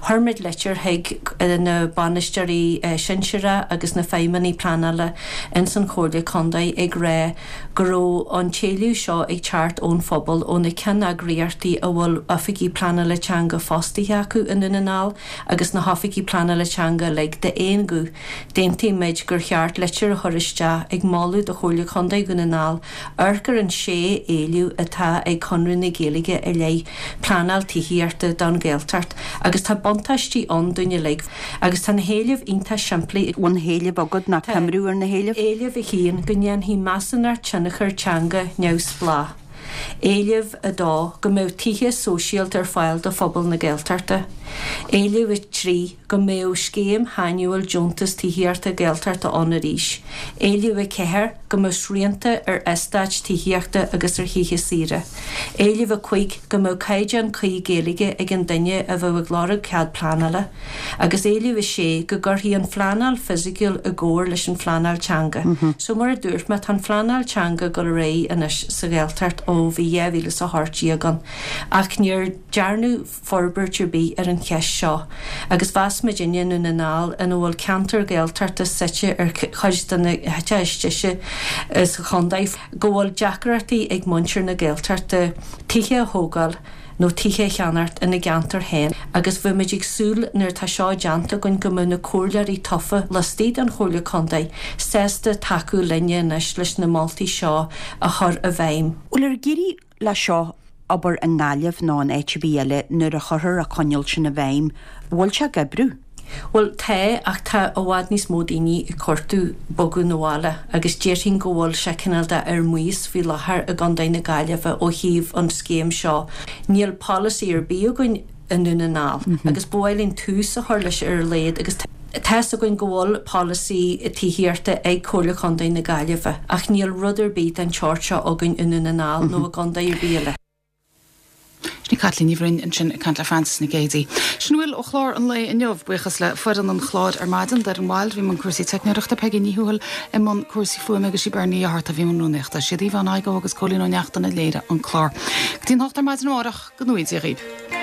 Chuir muid litir chuig na bainisteoirí sinsearacha agus na feidhmeannaigh pleanála ins an Chomhairle Contae ag rá go raibh an t-éileamh seo ag teacht ón phobal, ó na ceanneagraíochtaí a bhfuil oifigigh pleanála teanga fostaithe acu i nDún na nGall agus na hoifigigh pleanála teanga uilig d'aon ghuth. D'aontaigh muid gur cheart litir a chur isteach ag moladh do Chomhairle Contae Dhún na nGall amharc ar an sé éileamh atá ag Conradh na Gaeilge i leith pleanáil tithíochta don Ghaeltacht agus tá buntáistí ann dúinn uilig. Agus tá na héilimh iontach simplí. Bhfuil na héilimh agat ná coimriú ar na héilimh? Éileamh 1, Go ndéanfaí measúnacht tionchair teanga neamhspleách. Éileamh 2, Go mbeadh tithe sóisialta ar fáil do phobal na Gaeltachta. Éileamh 3, Go mbeadh scéim shainiúil deontas tithíochta Gaeltachta ann arís. Éileamh 4, Go mbeadh srianta ar eastáit tithíochta agus ar thithe saoire. Éileamh 5, Go mbeadh caighdeán cuí Gaeilge ag an duine a bheadh ag lorg cead pleanála. Agus éileamh 6, Go gcuirfí an phleanáil fisiciúil i gcomhar leis an phleanáil teanga. So mar a dúirt mé, tá an phleanáil teanga ag dul ar aghaidh anois sa Ghaeltacht ó bhí 2018 ann ach níor dearnadh forbairt ar bith ar an cheist seo agus mheas muidinne i nDún na nGall ina bhfuil ceantar Gaeltachta suite ar chuid de na háiteacha is deise sa chontae go bhfuil deacrachtaí ag muintir na Gaeltachta tithe a thógáil nó tithe a cheannacht ina gceantar féin agus bheadh muid ag súil nuair atá seo déanta againn go mbeadh na comhairleoirí tofa laistigh den Chomhairle Contae sásta tacú linne anois leis na moltaí seo a chur i bhfeidhm. Bhfuil ar ag éirí leis seo abair i nGaillimh nó in áit ar bith eile nuair a chuirthear an cineál sin i bhfeidhm, bhfuil sé ag oibriú? Bhuel, tá, ach tá i bhfad níos mó daoine ag cuartú bogadh 'na bhaile agus déarfainn go bhfuil sé cineál de ar maos faoi láthair i gContae na Gaillimhe ó thaobh an scéim seo. Níl polasaí ar bith againn i nDún na nGall agus ba mhaith linn tús a chur leis ar a laghad agus tá 'fhios againn go bhfuil polasaí tithíochta ag Comhairle Chontae na Gaillimhe ach níl rud ar bith den tseort seo againn i nDún na nGall nó i gcontae ar bith eile. Sin í Caitlín Ní Bhroin ansin ag caint le Frances Nic Géadaigh. Sin a bhfuil ó chlár an lae inniu. Buíochas le foireann an chláir ar maidin, Doireann Wilde a bhí i mbun cúrsaí teicneoireachta, Peigí Ní Thuathail i mbun cúrsaí fuaime agus sí Beirní Ní Fhátharta a bhí i mbun rúnaíochta. Siad Yvonne Igoe agus Cóilín Ó Neachtain a léirigh an clár. Go dtí an hocht ar maidin amárach, go ngnóthaí Dia dhaoibh.